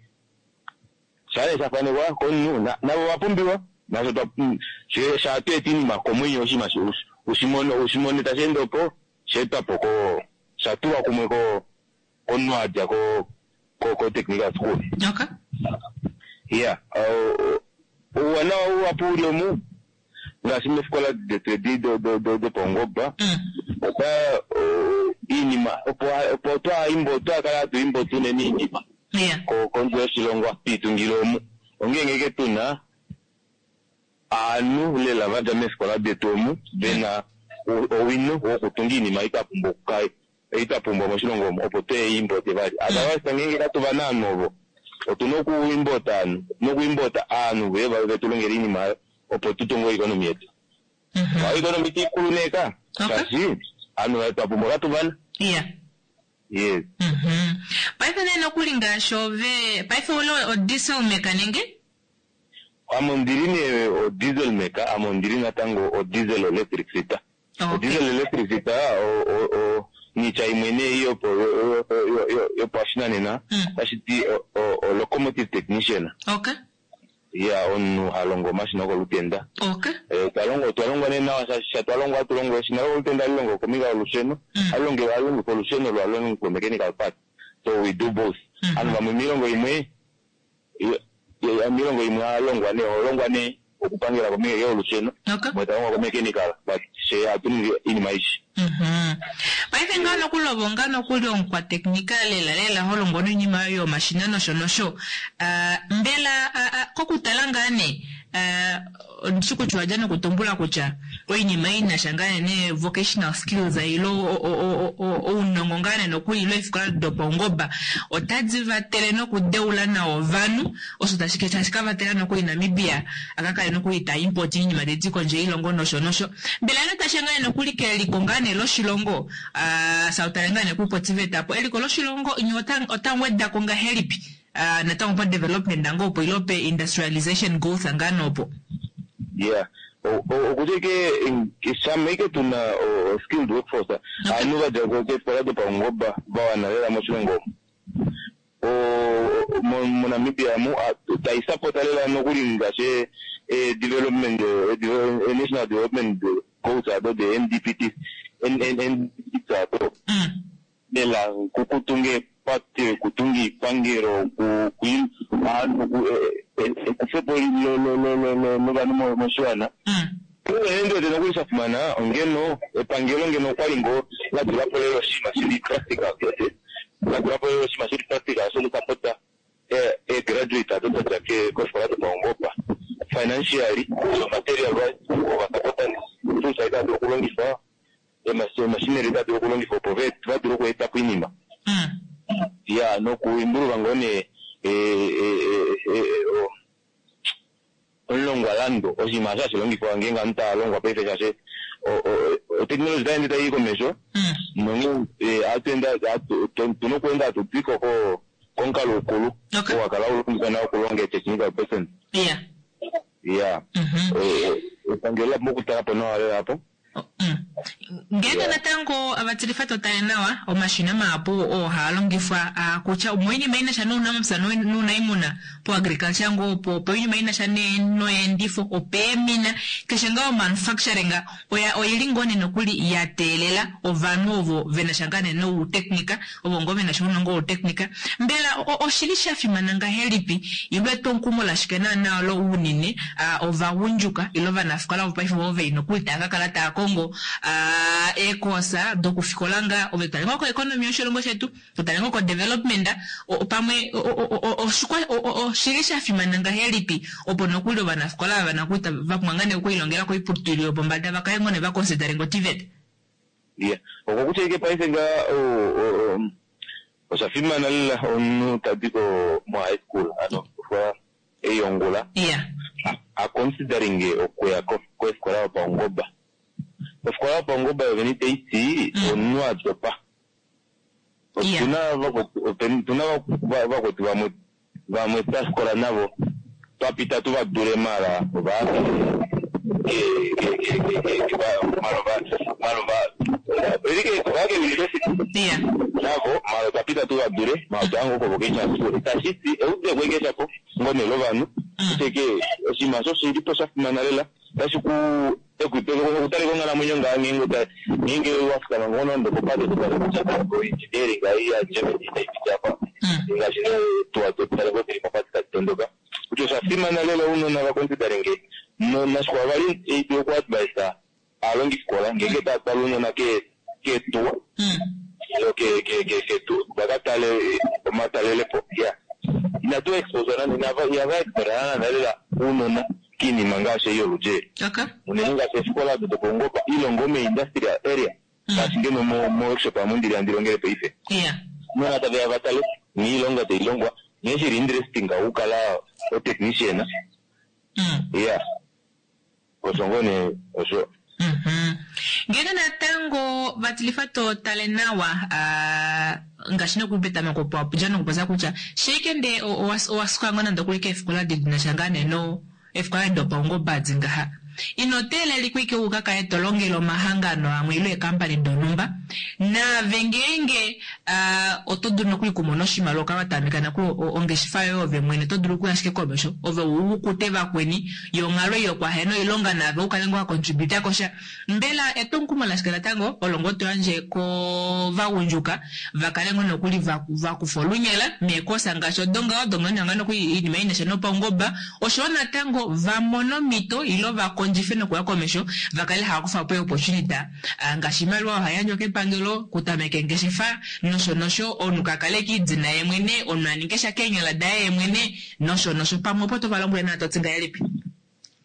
Shaa nee sha fanekwa komunhu, navo ova pumbiwa, nasho shaa hatu eta oinima komwenyo, oshinima ushimone tashi ende opo, sha etwa po sha tulwa kumwe komunhu a dja ko technical school. Iya, ouwanawa uhapu uli omu, ngaashi meefikola detu edi dopaungoba, ota oinima opo twakala hatu import unene oinima kondje yoshilongo tuitungile omu, ongeenge ashike tuna ovanhu lela vadja meefikola detu omu vena owino wokutunga oinima ei twapumbwa ei twapumbwa moshilongo omu, opo tuye importe vali. Otherwise ngeenge katuvana ovanhu ovo, otuna okuimport ovanhu, otuna okuimport ovanhu veuye vetu longele oinima oyo opo tutunge oeconomy yetu. Oeconomy taikulu nee ka, shaashi ovanhu twapumbwa katuvana. Yes. Paife nee nokuli ngaashi ove, paife ouli o diesel maker nenge? Ame ondili nee o diesel maker, ame ondili natango o diesel electric fitter. O diesel electric fitter niitya imwe nee yopashinanena otashi ti o locomotive technician. Iya, omunhu ha longo omashina okolutenda. Otwa longwa nee nawa shaashi sha twalongwa hatu longo eshina lokolutenda ohali longo kombinga yolusheno, ohali longifa olusheno lo ohali longifa mechanical part. So we do both. Ovanhu vamwe miilongo imwe, miilongo imwe oha longwa nee, oho longwa nee okupangela kombinga yolusheno, umwe talongwa ko mechanical, but fye ohatu ningi oinima aishe. Paife ngaho nokulova nga nokuli omukwateknika lela lela ho longo noinima yoye yomashina nosho nosho. Mbela kokutala ngaa nee. Ondishi kutya owadja nokutumbula kutya oinima ei inasha ngaa nee vocational skills ile ounongo ngaa nee nokuli ile eefikola dopaungoba otadi vatele nokudeula nawa ovanhu osho tashi tashi ka vatela nokuli Namibia a ka kale nokuli ta import iinima tayi di kondje yoilongo nosho nosho. Mbela ino tashiya ngaa nee nokuli keliko ngaa nee loshilongo sautale ngaa nee kupoTVET apo eliko loshilongo nye ota wedako ngahelipi natango pa development ngoo opo ile pe industrialization growth ngaa nee opo? Yeah. Okutya ike shama ike tuna skilled workforce ovanhu va dja keefikola dopaungoba va wana lela moshilongo omu moNamibia mu tai sapota lela nokuli ngaashi development national development goals ado de NDPT NDPT ado lela kukutunga eepate, kutunga iipangelo, ekufepo lovanhu moshiwana. Unene ndi wete nokuli sha fimana ongeno epangelo ngeno okwali ngoo la tula po lela oshinima shili practical, la tula po lela oshinima shili practical shokusapota eegraduate ado da dja kofikola dopaungoba financially, material wise, ovasapota tools tadi dulu okulongifwa, eemachinery tadi dulu okulongifwa opo va dule okueta po oinima. Ya nokuimbuluka ngoo nee omulongwalando oshinima osho hashi longifwa ngeenge ovanhu tava longwa paife shaashi otekinoloji otai ende tai komesho nonghee otuna okuenda hatu twiko komukalo ukulu oo wa kala haulongifwa nao okulonga technical person. Ya epangelo ola pumbwa okutala po nawa lela apo. Ngeenge natango ovatilifa to tale nawa, omashina mahapu oo haa longifwa kutya omoinima i na sha nounamapya nounaimuna, poagriculture ngoo opo, opoinima i na sha noyeendifo, opeemina, keshe ngaa omanufacturing oya oili ngoo nee nokuli ya teelela ovanhu ovo ve na sha ngaa nee nouteknika, ovo ngoo ve na sha ounongo wouteknika. Mbela oshi li sha fimana ngahelipi ile etwomukumo lashike naanaa olo unene ovagundjuka ile ovanafikola vopaife ovo ve li nokuli tava ka kala tava kongo eekoosa dokufikola ngaa, ove tu tale ngoo koeconomy yoshilongo shetu, tu tale ngoo kodevelopment, pamwe oshi li sha fimana ngahelipi opo nokuli ovanafikola ava nokuli va pumbwa ngaa nee okulilongela koiputudilo yopombada va kale ngoo nee va considere ngoo TVET? Iya, okokutya ike paife ngaa osha fimana lela omunhu tadi ko mo high school ano ofikola ei yongula a considering okuya kofikola yopaungoba. Ofikola yopaungoba yovene itayi ti omunhu a dopa. Otuna otuna vakwetu vamwe vamwe twa fikola navo twa pita tu va dule mala ova ke navo mala otwa pita tu va dule mala otwa ya ngoo kovocational school. Itashi ti eudeko ike shapo ngoo nee lovanhu ashike oshinima osho oshili po sha fimana lela otashi ku equipe okutalika onghalamwenyo ngaa ngeenge ngeenge wa fikama ngoo nande okopate to tale kutya oengineering ei yaGermany itai piti apa ngaashi nee tuwa tale ngoo dili mopate tadi tondoka kutya osha fimana lela ounona va consideringe nashikwao vali ei dulu oku advise aalongifikola ngeenge tava twala ounona keetuwa ketu vaka tale omatalelepo ya inatu expose nande ihava expose nande lela ounona kiinima ngaashi ei yoludji unene ngaashi eefikola odo dopaungoba ile ngoo mee-industrial area ngaashi ngeno mo-workshop amu ndili handi longele paife ounona taveya vatale nghee oilonga tailongwa nghee shili interesting okukala o-technician iya osho ngoo nee osho. Ngeenge natango vatilifa to tale nawa ngaashi nokuli petameko opo wa dja nokupopya kutya sheike ndee owa suka ngoo nande okuli keefikola di na sha ngaa nee no eefikola dopaungoba adi ngaha ino teelelikwa ike u ka kale to longele omahangano amwe ile eekampani donhumba naave ngeenge oto dulu nokuli okumona oshimaliwa uka watameka nokuli ongeshefa yoye ove mwene oto dulu okuya ashike komesho ove u kute vakweni yo onghalo ei yokwahena oilonga naave u kale ngoo wa contributa kosha mbela etwomukumo lashike natango olo ngoo to yandje kovagundjuka va kale ngoo nokuli va kufa olunyala meekosa ngaashi odo ngaho dongaho ngaa nokuli oinima i na sha nopaungoba oshoyo natango va mone omhito ile va kondjife nokuya komesho va kale hava kufa po eeopportunity ngaashi oimaliwa oyo hai yandjwa kepangelo okutameka eengeshefa nosho nosho omunhu ka kale kiidina ye mwene omunhu a ninge sha keenyala daye ye mwene nosho nosho pamwe opo to va lombwele nawa to ti ngahelipi?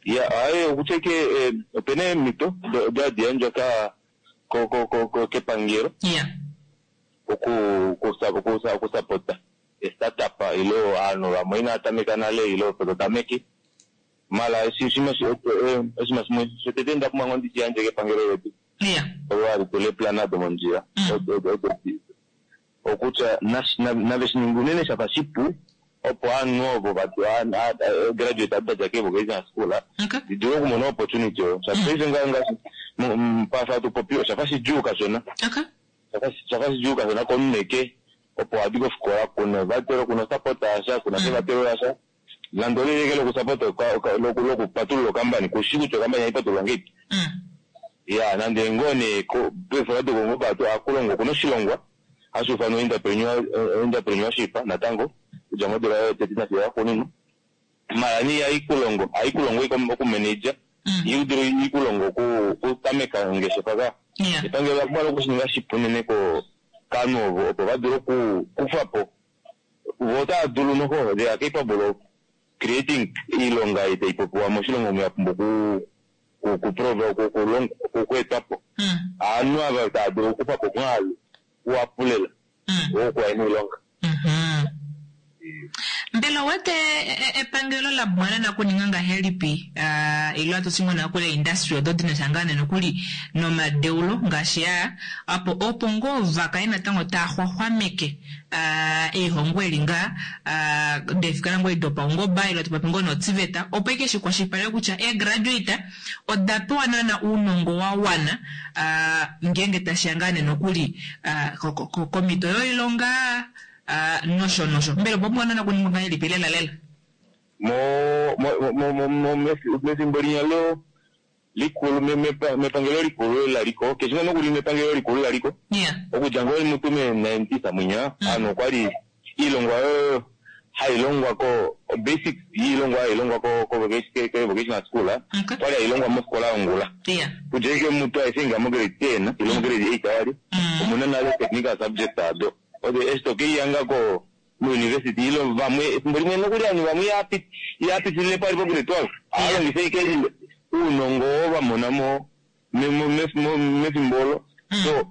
Ya, aye okutya ike opena eemhito odo hadi yandjwa ka ko ko ko ko kepangelo Yeah. oku oku oku sapota startup ilo aanhu vamwe inaa tameka nale ilo opo to tameke mala eshi oshinima oshinima shimwe shotete nda pumbwa ngoo ndishi yandje kepangelo letu Yeah. olo hali tula eeplan domondjila odo okutya nave shiningi unene shafa shipu opo aanhu ovo graduate adadja kevocational school didule okumona opportunity oyo shaashi paife ngaashi pafa tupopi oshafa shidjuu kashona shafa shidjuu kashona komunhu eke opo adi kofikola kuna evatelo kuna support yasha kuna evatelo lasha nande olileke lokusupport lokupatulula okampani kushi kutya okampani haipatululwa ngeipi ya nande ngoo nee peefikola dokongoba akulongwa okuna oshilongwa hashi ufanwa entrepreneurship natango kudja modula yotete nafiyo yaxuuninwa mala nee haikulongo haikulongo okumanage idulu ikulongo okutameka ongeshefa ka epangelo ola pumbwa okushininga shipu unene kovanhu ovo opo vadule okukufapo vo otava dulu noho they are capable of creating oilonga ei taipopiwa moshilongo omu yapumbwa okweetwapo ovanhu ava tava dulu okukufapo omwaalu uhapu lela wokuya moilonga. Mbela owete epangelo la pumbwa nakuninga ngahelipi ile hatu ngoo nokuli industry odo dina sha ngaa nee nokuli nomadeulo ngaashi aa apo opo ngoo vakale natango taa xwaxwameke eihongo eli ngaa deefikola ngoo dopaungoba ile tupopi ngoo noTVET opo ike shikwashilipaleke kutya eegraduate oda pewa naana ounongo wa wana ngeenge tashiya ngaa nee nokuli komhito yoilonga nosho nosho mbela opa pumbwa naana okuningwa ngahelipi lela lela mefimbo linya lo likulu mepangelo likulu laliko keshe nga nokuli mepangelo likulu laliko okudja ngoo mutu me 90 mwinya ovanhu okwali iilongwa oyo hailongwa ko basic yiilongwa hailongwa ko vocational school okwali hailongwa mofikola yongula kudja ike mutu aithinga mo grade 10 ile mo grade 8 awali omuna nale technical subject ado odo eshi tokeiyanga ko muuniversity ilo vamwe efimbo limwe nokuli ovanhu vamwe ihapitilile pali po grade 12 ahalongifa ike uunongo oo vamona mo mefimbo olo so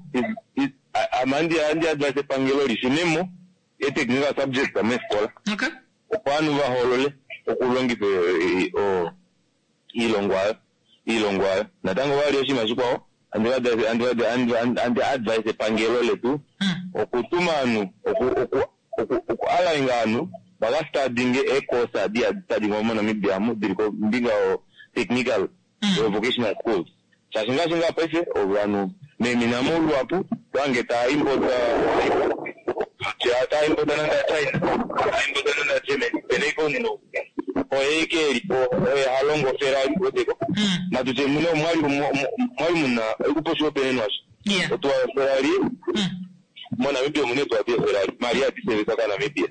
ame andi advise epangelo lishunemo e-technical subject meefikola opo ovanhu vahoolole okulongifa iilongwa oyo natango vali oshinima shikwao andi advise epangelo letu okutuma ovanhu oku align ovanhu vakastadinge eecourse adi hadi stadingwa moNamibia amu dili kombinga yo technical vocational schools shaashi ngaashi ngaa paife ovanhu meemina moluhapu tohange taa import taa import nande China taa import nande Germany pena ike omunhu oye ike elipo oye halongo Ferrari weteko natutye mune omwali muna oikupa oshihopaenenwa osho otuwa Ferrari moNamibia omuna eetuwa deeFerrari mali ihadi seviswa kaNamibia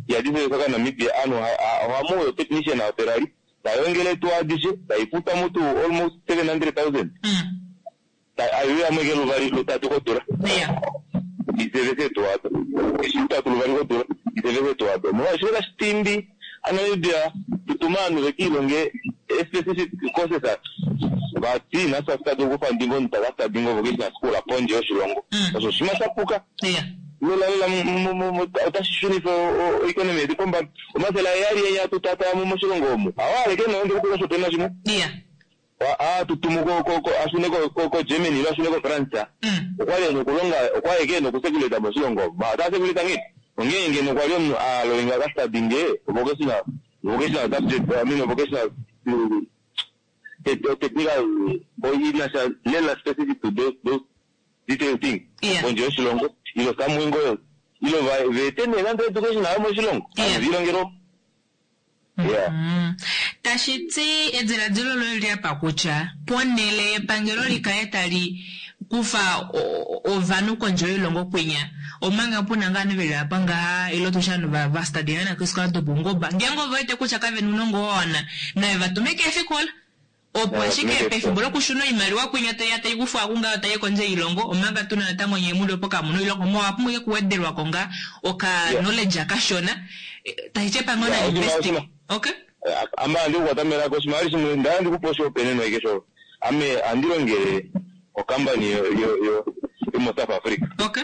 ihadi seviswa kaNamibia ovanhu ohamuuya technician waFerrari tayongele eetuwa adishe taifuta mutu almost 700,000 aiuyamo ike luvali lutatu kodula isevese eetuwa ado eshi lutatu luvali kodula isevese eetuwa ado molwaashi kashitimbi aNamibia tutuma ovanhu vekiilonge specific courses vati nafye ohatu kufa ndingo omunhu takastadinga vocational school pondje yoshilongo osho oshinima shapuka lela lela otashi shunifa oeconomy yetu pombada 700 enya tutata moshilongo omu awaleke nonde kutuka shopena shimwe atutumu ashune ko-Germany ilo ashune ko-France okwali ena okulonga okwali eke ena okusekuleta moshilongo ota sekuleta ngeipi onghee ngeno kwali omunhu alolenga akastadinge vocational subject I mean vocational technical inasha lela specific to those detailed things pondje yoshilongo ilo somewhere ngo ilo veete nee nande education ayo moshilongo viilongelo yeah tashi ti ediladilo loye liapa kutya ponele yepangelo likale tali kufa ovanhu kondje yoilongo kwinya omanga puna ngaa veli apa ngaha ilo tusha ovanhu vastadinga keefikola dopaungoba ngeenge ove wete kutya kavena ounongo wa wana naye vatume keefikola opo ashike pefimbo lokushuna oimaliwa kwinya taiya taikufwa kungaho tayi kondje yoilongo omanga tuna natango nyee muli opo kamuna oilongo mowa pumbwa ike kuwedelwako ngaa oka knowledge kashona tashi ti epangelo nali invest okay. Ame ohandi kukwata melaka oshimaliwa shimwe nda handi kupe oshihopaenenwa ashike sho ame ohandi longele ocompany yomoSouth Africa. Okay.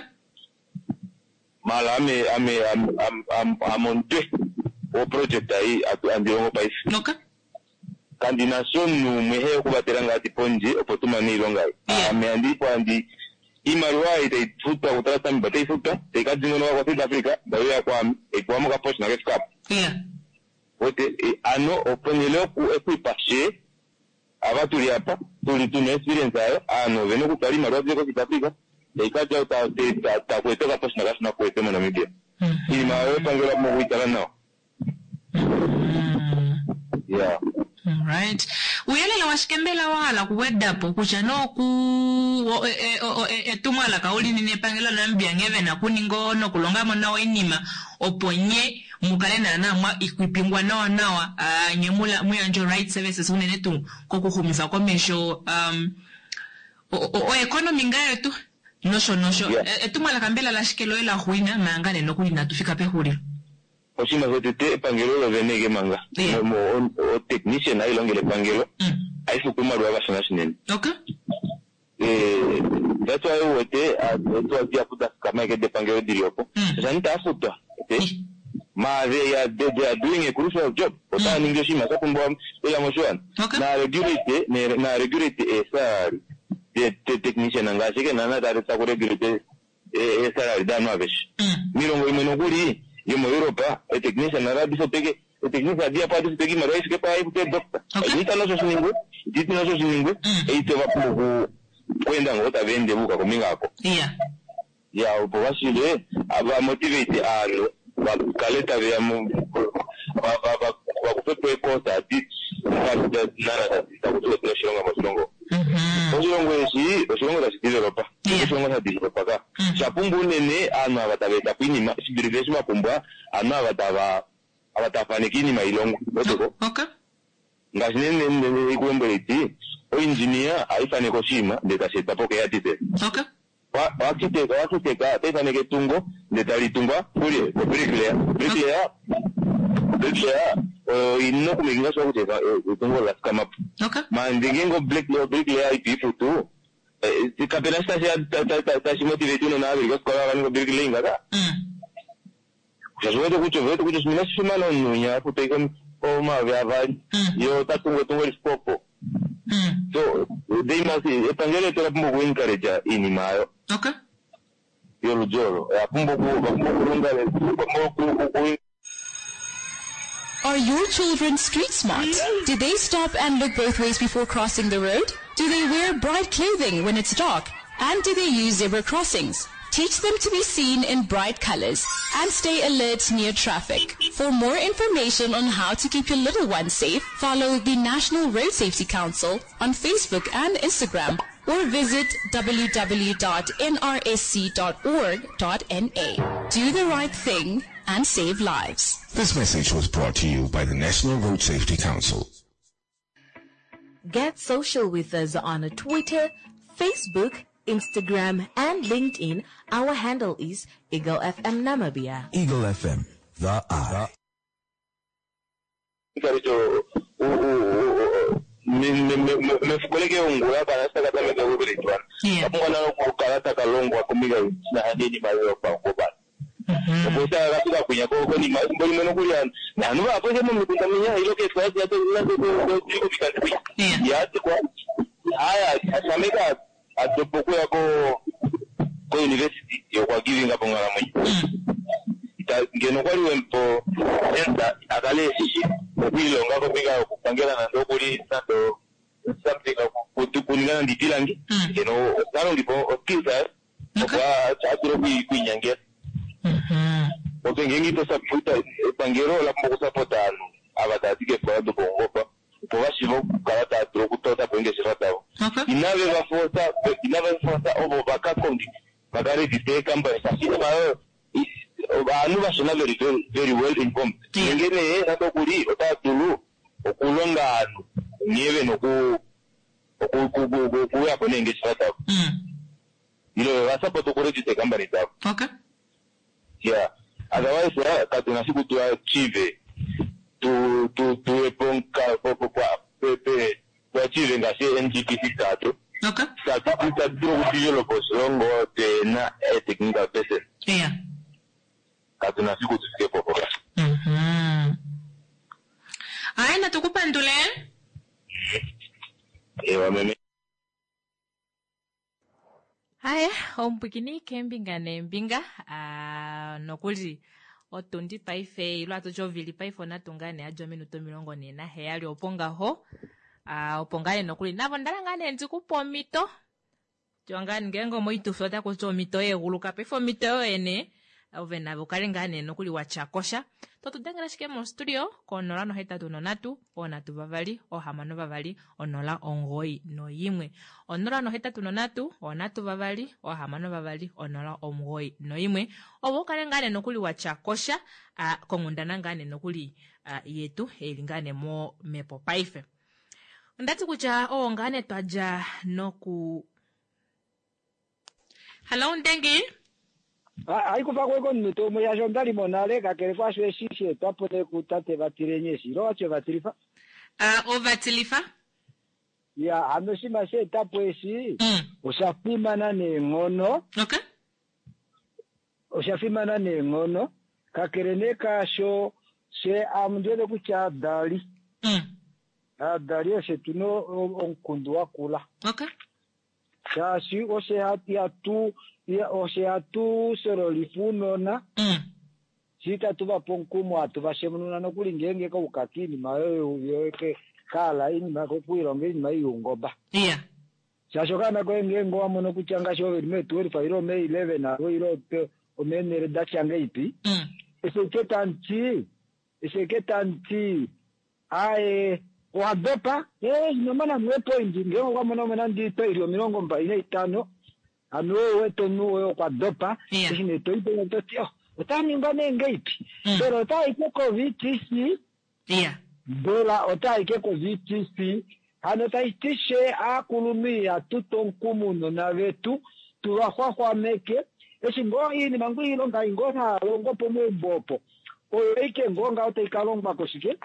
Mala ame ame ame omutwe woproject ei handi longo paife. Okay. Kandi na sha omunhu umwe he okuvatela ngaa ti pondje opo tu mane oilonga ei. Ame handi po handi iimaliwa ei tai futwa kuTrustambia otai futwa tai ka dingonoka koSouth Africa tai uya kwaame tai pewa mokaposhina kefike apa. Wete ano ponhele yoku equipa fye ava tuli apa tuli tuna experience ayo ovanhu ovena okutwala iimaliwa dile koSouth Africa tai kadja taku etwa okaposhina kashona kuetwe moNamibia. Iinima oyo epangelo ola pumbwa okuitala nawa. Yeah. Alright. Uuyelele washike mbela wa hala okuweda po kutya noku etumwalaka uli nini epangelo laNamibia nghee vena okuninga nokulonga mo nawa oinima opo nye mu kale naana mwa ikwipingwa nawa nawa nye mu yandje right services unene tuu kokuxumifa komesho um, oeconomy ngaa yetu nosho nosho. Etumwalaka mbela lashike loye la xwina manga nee nokuli inatu fika pexulilo? Oshinima shotete epangelo olo vene eke manga. O technician hai longele epangelo hai futwa oimaliwa vashona shinene. Okay. That's why u wete eetuwa dihapu da fikama eke depangelo dili opo. Shaashi itava futwa. Ma they are, they are doing a crucial job. Otava ningi oshinima sha pumbiwa lela moshiwana. Na regulate, na regulate eesalary de technician ngaashi eke naana taku regulate eesalary daanhu aveshe. Moilongo imwe nokuli yomoEurope, eetechnician ohadi futwa eetechnician dihapu ohadi futwa oimaliwa i fike pwaai haifutwa eedoctor. Ita nosho shi ningwe, ita nosho shi ningwe, eite ova pumbwa okweenda ngoo tava ende va yuka kombinga oko. Ya, opo va shiive va motivate ovanhu va kale tave ya va kufe po eecourse adi naana taku tiwa odina oshilonga moshilongo. Oshilongo eshi oshilongo tashi developa, oshilongo sha developa ka. Osha pumbwa unene ovanhu ava tava eta po oinima shi dulife eshi va pumbwa ovanhu ava tava ava tava faneke oinima ilongwe. Uweteko? Ngaashi nee nde ku lombwela iti, oindjiniya ohai faneke oshinima ndele tashi etwa po keearchitect. Oarchitect oarchitect otai faneke etungo ndele tali tungwa kulye? Kobricklayer. Bricklayer bricklayer oyo i na okumakinga sure kutya etungo ola fikama po. Manje ngeenge obricklayer ito i futu, kape na eshi tashi motivate ounona ava ve li kofikola va ninge obricklaying ka. Shaashi ove wete kutya ove wete kutya oshinima inashi fimana omunhu winya a futwa ashike 2000 ye ota tungu etungo li fike opo. So they must epangelo letu ola pumbwa oku encourage iinima oyo. Yoludi olo. Oya pumbwa oku ova pumbwa okulonga ova pumbwa oku Are your children street smart? Do they stop and look both ways before crossing the road? Do they wear bright clothing when it's dark? And do they use zebra crossings? Teach them to be seen in bright colors and stay alert near traffic. For more information on how to keep your little ones safe, follow the National Road Safety Council on Facebook and Instagram or visit www.nrsc.org.na. Do the right thing and save lives. This message was brought to you by the National Road Safety Council. Get social with us on Twitter, Facebook, Instagram, and LinkedIn. Our handle is Eagle FM Namibia. Eagle FM, the eye. Mefukoleke ongula kana taka tameka okupeletwana kapumbwa nalo okukala taka longwa kombinga yoinima yopaungomba opo taka kafika kwinya konima efimbo limwe nokuli naanhu vahapu ashike momikunda mwinya ile keefikola dinya dili komikandi kwinya ihatikwa haya ashameka adopa okuya ko ko university ye okwa givinga po onghalamwenyo. Ita ngeno okwali wemupa chance a kale eshi okwiilonga kombinga yokupangela nande okuli nande something okuninga nande iipilangi ngeno ota longifa o skills aye opo a dule okwiinyangela. Okay ngeenge ito support epangelo ola pumbwa oku support ovanhu ava tava di keefikola dopaungoba opo va shiive okukala tava dulu okutota po eengeshefa davo. Inave va forsa, inave va forsa ovo va ka konge, va ka register eecompany shaashi oinima oyo ovanhu vashona ve li very well informed. Nenge nee nande oku li otava dulu okulonga ovanhu nghee ve na oku okuuya po neengeshefa davo. Ile ve va support okuregister eecompany davo. Yeah. Otherwise katu na fiku tu achieve tu tu tuye NGTC tatu. Tatu dulu okudevelop oshilongo tena a technical person. Katu na fiku tu fike po mpoka. Aye, natu ku pandule. Ewa meme. Aye, omupwikini keembinga neembinga, ah, nokuli otundi paife ilo atu ti ovili paife onatu ngaa nee yadja ominute 47 opo ngaho. Ah, opo ngaa nee nokuli navo ndala ngaa nee ndi ku pe omhito. Tiwa ngaa ngeenge omoitufi otaku ti omhito yeeguluka paife omhito yoye nee ove nave ukale ngaa nee nokuli wa tya kosha. To tu dengele ashike mostudio ko 083 3 6 2 0 9 1. 083 3 6 2 0 9 1. Opo ukale ngaa nee nokuli wa tya kosha konghundana ngaa nee nokuli yetu eli ngaa nee momhepo paife. Onda ti kutya oo ngaa nee twa dja noku Hallo Ndengi. Hayi kufa ko komunute umwe shaashi onda li mo nale kakele kwaasho eshi sha etwa po nee kutate Vatilenyi eshi ilo wati ovatilifa. Ovatilifa. Ya hano oshinima sha eta po eshi osha fimana neenghono. Okay. Osha fimana neenghono kakele nee kaasho fye ame ondi wete kutya aadali aadali oshe tu na omukundu wakula. Okay. Shaashi oshe ihatu oshe hatu shololifa ounona shi itatu va pe omukumo hatu va shemununa nokuli ngeenge kauka kiinima oyo kahala iinima okuilonga iinima ei youngoba. Shaashi okaana koye ngeenge owa mono kutya ngaashi ove li mee-12 ile omee-11 ile omeenhele da tya ngeipi, eshi eke tamuti, eshi eke tamuti Aaye, owa dopa. Ee, ino mona mo eepoindi. Ngeenge okwa mono mo nande oitwa i li 25, hano ou wete omunhu woye okwa dopa. Eshi nee to i penya to ti, Oh, ota ningwa nee ngeipi? Mbela ota i ke ko-VTC? Mbela ota i ke ko-VTC? Hano tashi ti fye aakulunhu ihatu tu omukumo ounona vetu, tu va xwaxwameke. Eshi ngoo oinima ngoo oilonga ei ngoo hava longo pomaumbo opo, oyo aike ngoo ngaho tai ka longwa koshike,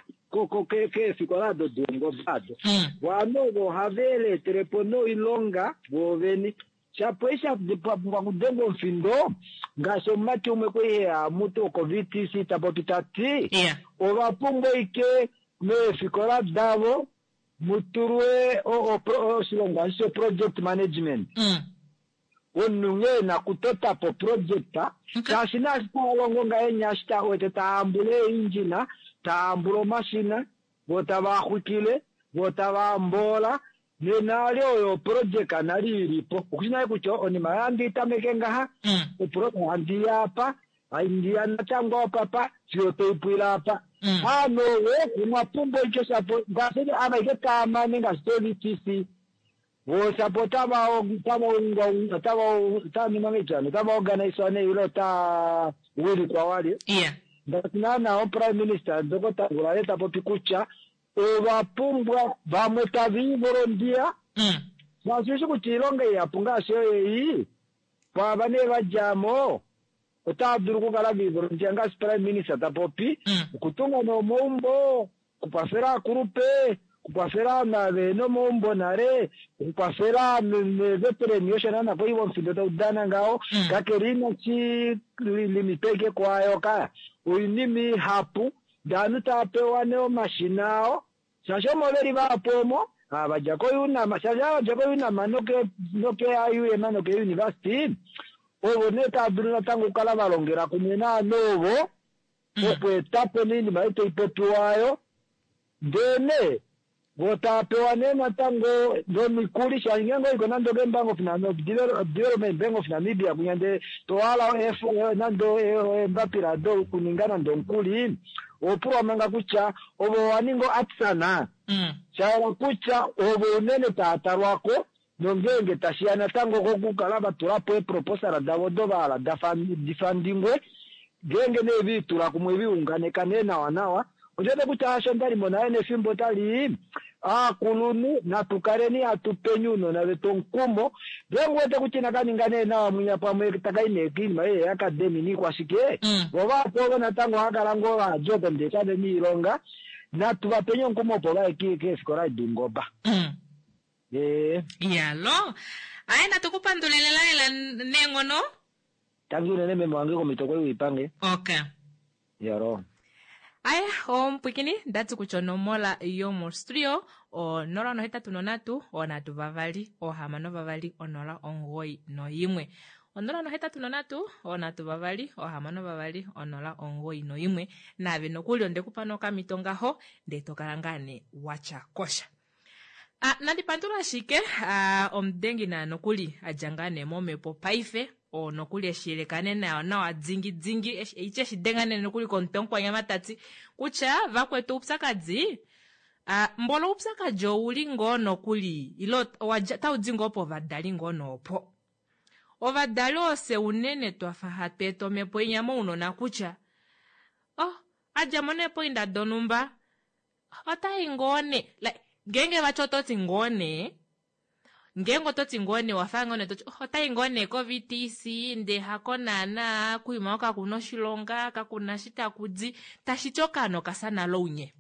keefikola ado doungoba ado. Ovanhu ovo ohave lietele po noilonga voovene. Shapo eshi sha pumbwa okudengwa omufindo, ngaashi omumati umwe kwali heya mutu woko-VTC ta popi ta ti, ova pumbwa aike meefikola davo mu tulwe oshilongwa eshi sho-project management. Omunhu nghee e na okutota po oproject, shaashi naashi taa longo ngahenya eshi ta wete taa hambula eeindjina, taa hambula omashina, vo tava xwikile, vo tava mboola, nena ali oyo oprojeka nale i li po. Okushi nale kutya onima oyo handi i tameke ngaha, oprojeka handi i apa, handi ya natango apapa, fiyo tai pwile apa. Ovanhu ovo omwa pumbwa oitya shapo ngaashi ava ashike taa mane ngaashi to-VTC, vo shapo otava otava ungaunga otava otava ningwa ngahelipi hano otava organisewa nee ile otaa wilikwa walye. Ngaashi naana omuprime minister Ndokota Ngurare ta popi kutya ova pumbwa vamwe tava i volondiya shaashi ushi kutya oilonga ihapu ngaashi oyo ei kwaava nee va dja mo otava dulu okukala va ivolondiya ngaashi prime minister ta popi okutunga nee omaumbo okukwafela aakulupe, okukwafela ovanhu ava vehena omaumbo nale, okukwafela neeveterani osho naana kwali omufindo tau dana ngaho, kakele inashi limitwa ashike kwaayo ka, oinima ihapu ndee ovanhu tava pewa nee omashina ao, shaashi omo veli vahapu omo, ava vadja koUNAM, shaashi ava vadja koUNAM noke-IUM noke-university, ovo nee tava dulu natango okukala va longela kumwe naanhu ovo, okweeta po nee oinima ei tai popiwa aayo, ndee nee vo tava pewa nee natango nomikuli shaashi ngeenge oiko nande okeebank of Development Bank of Namibia kwinya ndee to hala nande eembapila dokuninga nande omukuli, oho pulwa manga kutya ove owa ninga oartisan? Sha yela kutya ovo unene tava talwa ko nongeenge tashi ya natango kokukala va tula po eeproposala davo odo va hala di fandingwe, ngeenge nee ve i tula kumwe ve i unganeka nee nawanawa, ondi wete kutya hasho nda li mo nale nefimbo otali i. Aakulunhu natu kaleni hatu peni ounona vetu omukumo, ngeenge u wete kutya inaka ninga nee nawa mwinya pamwe taka i nee koinima ei yeeacademy niikwashike, vo vahapu ovo natango ohava kala ngoo va dja oko ndee kave na oilonga, natu va peni omukumo opo va ye keefikola doungoba. Ee. Yalo. Aye natu ku pandule lela lela neenghono. Tangi unene meme wange komito kwali wiipange. Okay. Yalo. Aya, omupwikini ndati kutya onomola yomostudio o 083 3 6 2 091. 083 3 6 2 091. Naave nokuli ondekupa nokamito ngaho ndee tokala ngaa nee watya kosha. Ah, nandi pandula ashike ah, omudengi naa nokuli a dja ngaa nee momhepo paife oo nokuli eshi yelekane nayo nawa dingi dingi eshi eshi denga nee nokuli komutwe omukwanyama ta ti kutya vakwetu oupyakadi ah, mbola oupyakadi ouli ngoo nokuli ile otau di ngoo povadali ngoo noopo. Ovadali ofye unene twafa hatu eta omhepo inya mounona kutya oh, a dja mo nee poinda donhumba Otai ngoo nee like ngeenge vati oto ti ngoo nee ngeenge oto ti ngoo nee wafa ngoo nee toti oh, otai ngoo nee ko-VTC ndee hako naana kuima oko kakuna oshilonga kakuna shi taku di tashi ti okaana okafya nale ounye.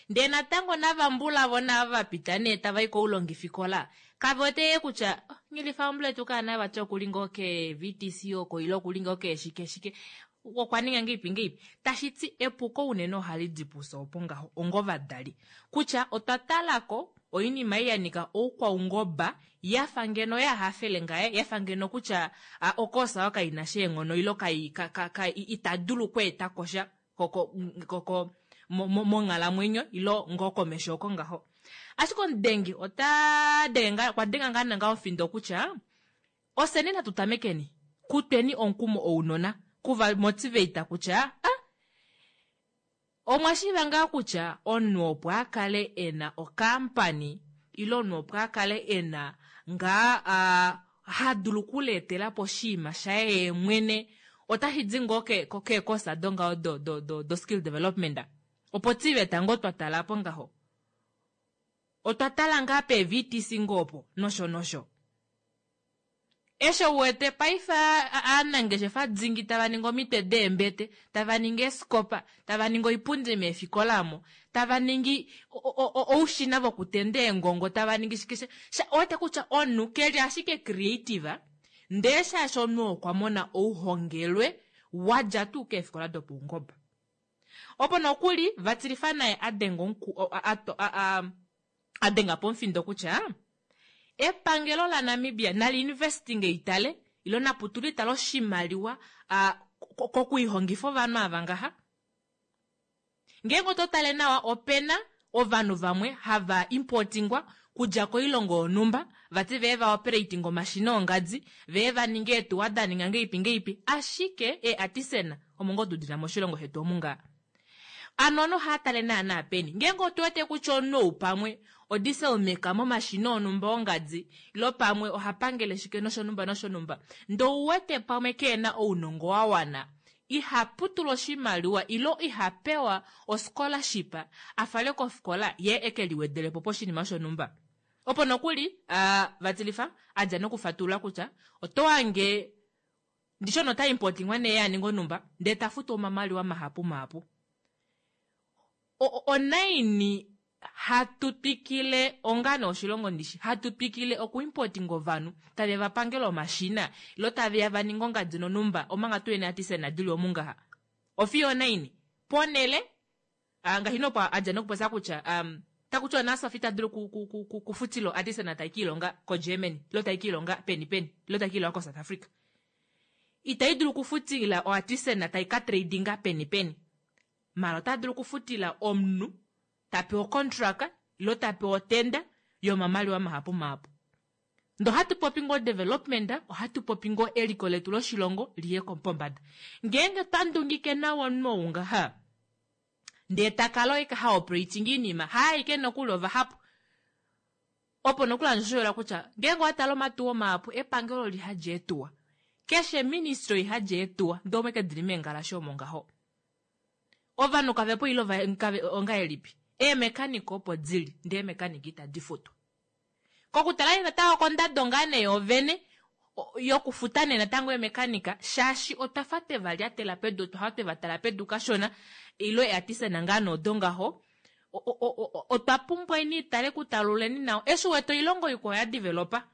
Ndee natango navambulavo naava va pita nee tava i koulongifikola kave wete yee kutya oh, nghilifa ombuletu kaana vati okuli ngoo ke-VTC oko ile okuli ngoo keeshike shike okwa ninga ngeipi ngeipi. Tashi ti epuko unene ohali di pufye opo ngaho ongovadali. Kutya otwa tala ko oinima ei ya nyika oukwaungoba ya fa ngeno ya hafele ngaye, ya fa ngeno kutya a, okoosa oyo kai na sha eenghono ile kai, ka, ka, ka, ita dulu okweeta ko sha ko, ko, ko, ko, mo, mo, monghalamwenyo ile ngoo komesho oko ngaho. Ashike omudengi ota denge ngaa, okwa denga ngaa nanga omufindo kutya Ofyeni natu tamekeni kutweni omukumo ounona, kuva motivate kutya ah omwa shiiva ngaa kutya omunhu opo a kale e na okampani ile omunhu opo a kale e na ngaa ah, ha dulu okuleetela po oshinima shaye yee mwene otashi di ngoo ke- ko- keekosa dongaho do, do, do, do skill development. Opo TVET ngoo twa tala po ngaho. Otwa tala ngaa pee-VTC ngoo opo nosho nosho. Eshi u wete paife aanangeshefa dingi tava ningi omitwe deembete, tava ningi eesikopa, tava ningi oipundi meefikola omo, tava ningi oushina vokutenda eengongo, tava ningi shike sha, owete kutya omunhu ke li ashike creative, ndee shaashi omunhu okwa mona ouhongelwe wa dja tuu keefikola dopaungoba. Opo nokuli Vatilifa naye a denga omuku, a, a, a, a denga pomufindo kutya epangelo laNamibia nali investinge itale ilo naputule itale oshimaliwa kokuihongifa ovanhu ava ngaha. Ngeenge oto tale nawa opena ovanhu vamwe hava importingwa kudja koilongo yonhumba vati vee va operating omashina ongadi vee va ninge eetuwa da ninga ngeipi ngeipi ashike eeartisan omo ngoo tudina moshilongo shetu omu ngaa. Ano ovanhu ohava tale naana peni? Ngeenge otu wete kutya omunhu ou pamwe odiesel maker momashina onhumba ongadi ile pamwe oha pangele shike noshonhumba noshonhumba, ndee ou wete pamwe keena ounongo wa wana, iha putula oshimaliwa ile iha pewa oscholarship a fale kofikola yee eke liwedele po poshinima shonhumba. Opo nokuli Vatilifa a dja nokufatulula kutya oto hange Ndishi ono ta importingwa nee ya ninga onhumba ndee ta futu omamaliwa mahapu mahapu. Onaini hatu twikile onga nee oshilongo ndishi hatu twikile oku importinga ovanhu tave va pangele omashina ilo tave ya va ninge ongadi nonhumba omanga tu yene artisan dili omu ngaha. Ofiyo onaini? Ponele Ah, ngaashi nopo a dja nokupopya kutya um, taku tiwa naSofi ita dulu ku- ku- ku- ku- kufutila oartisan tai ka ilonga koGermany ilo tai ka ilonga peni peni ilo tai ka ilonga koSouth Africa. Itai dulu okufutila oartisan tai ka tradinga peni peni. Mara ota dulu okufutila omunhu ta pewa ocontract ilo ta pewa otenda yomamaliwa mahapu mahapu. Ndee ohatu popi ngoo development, ohatu popi ngoo eliko letu loshilongo liye pombada. Ngeenge twa ndungike nawa omunhu ou ngaha, ndee ta kala oye ha operating iinima, haaike nokuli ovahapu. Opo nokuli handi shoyola kutya ngeenge owa tala omatuwa mahapu epangelo oli hadi eetuwa. Keshe ministry oi hadi eetuwa ndee omwe ke dili meengalashe omo ngaho. Ovanhu kave po ile ongahelipi? Eemekanika opo dili ndee eemekanika itadi futwa. Kokutala nee natango kondado ngaa nee yoovene yokufuta nee natango eemekanika shaashi otwa fa twe va lyatela pedu, otwa fa twe va tala pedu kashona ile eeartisan ngaa nee odo ngaho. Otwa pumbwa ini itale kutaluleni nawa eshi wete oilongo ikwao ya developa.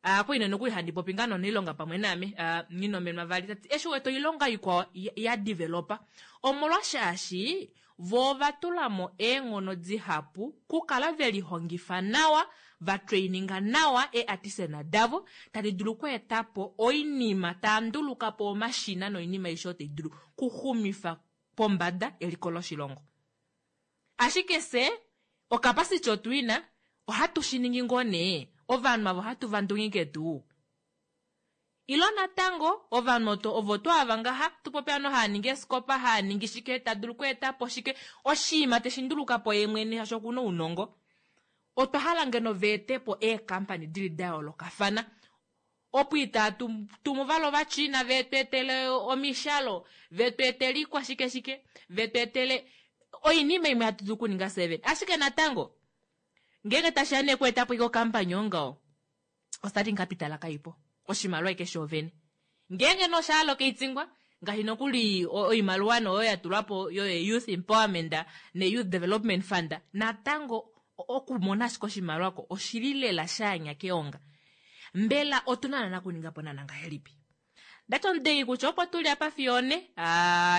Akwai nokuli handi popi ngaa nonailonga pamwe naame, Nghinomenwa vali tati eshi wete oilonga ikwao ya developa omolwashaashi vo ova tula mo eenghono dihapu kukala ve lihongifa nawa, va traininga nawa eeartisan davo tadi dulu okweeta po oinima, taa nduluka po omashina noinima aishe oyo tai dulu kuxumifa pombada eliko loshilongo. Ashike fye ocapacity otu i na, ohatu shi ningi ngoo nee? Ovanhu ava ohatu va ndungike tuu? Ilo natango ovanhu oto ovo to ava ngaha tu popi ano haa ningi eeskopa, haa ningi shike, ta dulu okweeta po shike, oshinima teshi nduluka po ye mwene shaashi oku na ounongo. Otwa hala ngeno va ete po eekampani di li da yoolokafana opo itaa tu tumu vali Ovachina ve tu etele omishalo, ve tu etele ikwashike shike, ve tu etele oinima imwe hatu dulu okuninga fye vene. Ashike natango ngeenge tashi ya nee okweeta po ike okampani ongaho, ostarting capital kai po, oshimaliwa ike shoovene. Ngeenge nee osha hala okaitingwa, ngaashi nokuli oimaliwa nee oyo ya tulwa po yo youth empowerment ne youth development fund, natango okumona ashike oshimaliwa ko oshili lela shaanya keonga. Mbela otu na naana okuninga po naana ngahelipi? Ndati omudei kutya opo tuli apa fiyo one,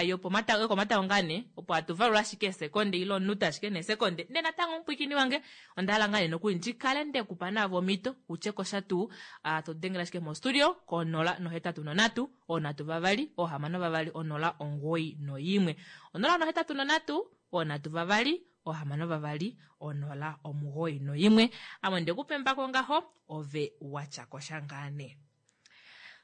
yokomatango ngaa nee, opo hatu valula ashike eesekonde ile omunute ashike neesekonde. Ndele natango omupwiikini wange, onda hala ngaa nee nokuli ndi kale nde ku pa naave omhito u tye ko sha tuu. To dengele ashike mostudio ko 083 3 6 2 091. 083 3 6 2 091. Ame onde ku pemba ko ngaho, ove wa tya ko sha ngaa nee.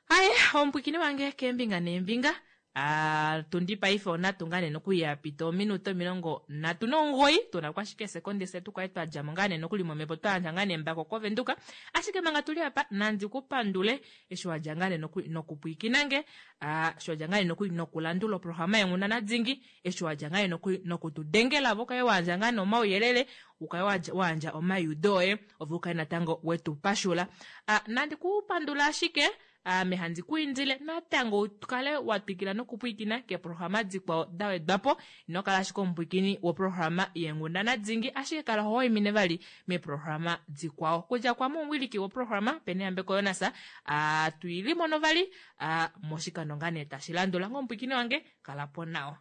Aye, omupwikini wange keembinga neembinga. Ah, tundi paife onatu ngaa nee nokuli ya pita ominute 39, tuna ko ashike eesekonde fye tukale twa dja mo ngaa nee nokuli momhepo twa yandja ngaa nee embako koVenduka. Ashike manga tuli apa, nandi ku pandule eshi wa dja ngaa nee nokuli nokupwiikina nge, ah, eshi wa dja ngaa nee nokuli nokulandula oprograma yEnghundana Dingi, eshi wa dja ngaa nee nokuli noku tu dengela ove ukale wa yandja ngaa nee omauyelele, ukale wa yandja omaiudo oye, ove ukale natango we tu pashula. Ah, nandi ku pandula ashike ame handi ku indile natango u kale wa twikila nokupwiikina keeprograma dikwao da wedwa po. Ino kala ashike omupwiikini woprograma yEenghundana Dingi, ashike kala ho waimine vali meeprograma dikwao. Kudja kwame omuwiliki woprograma Peneyambeko Jonas, a tu ili mono vali a moshikando ngaa nee tashi landula. Onghee omupwiikini wange, kala po nawa.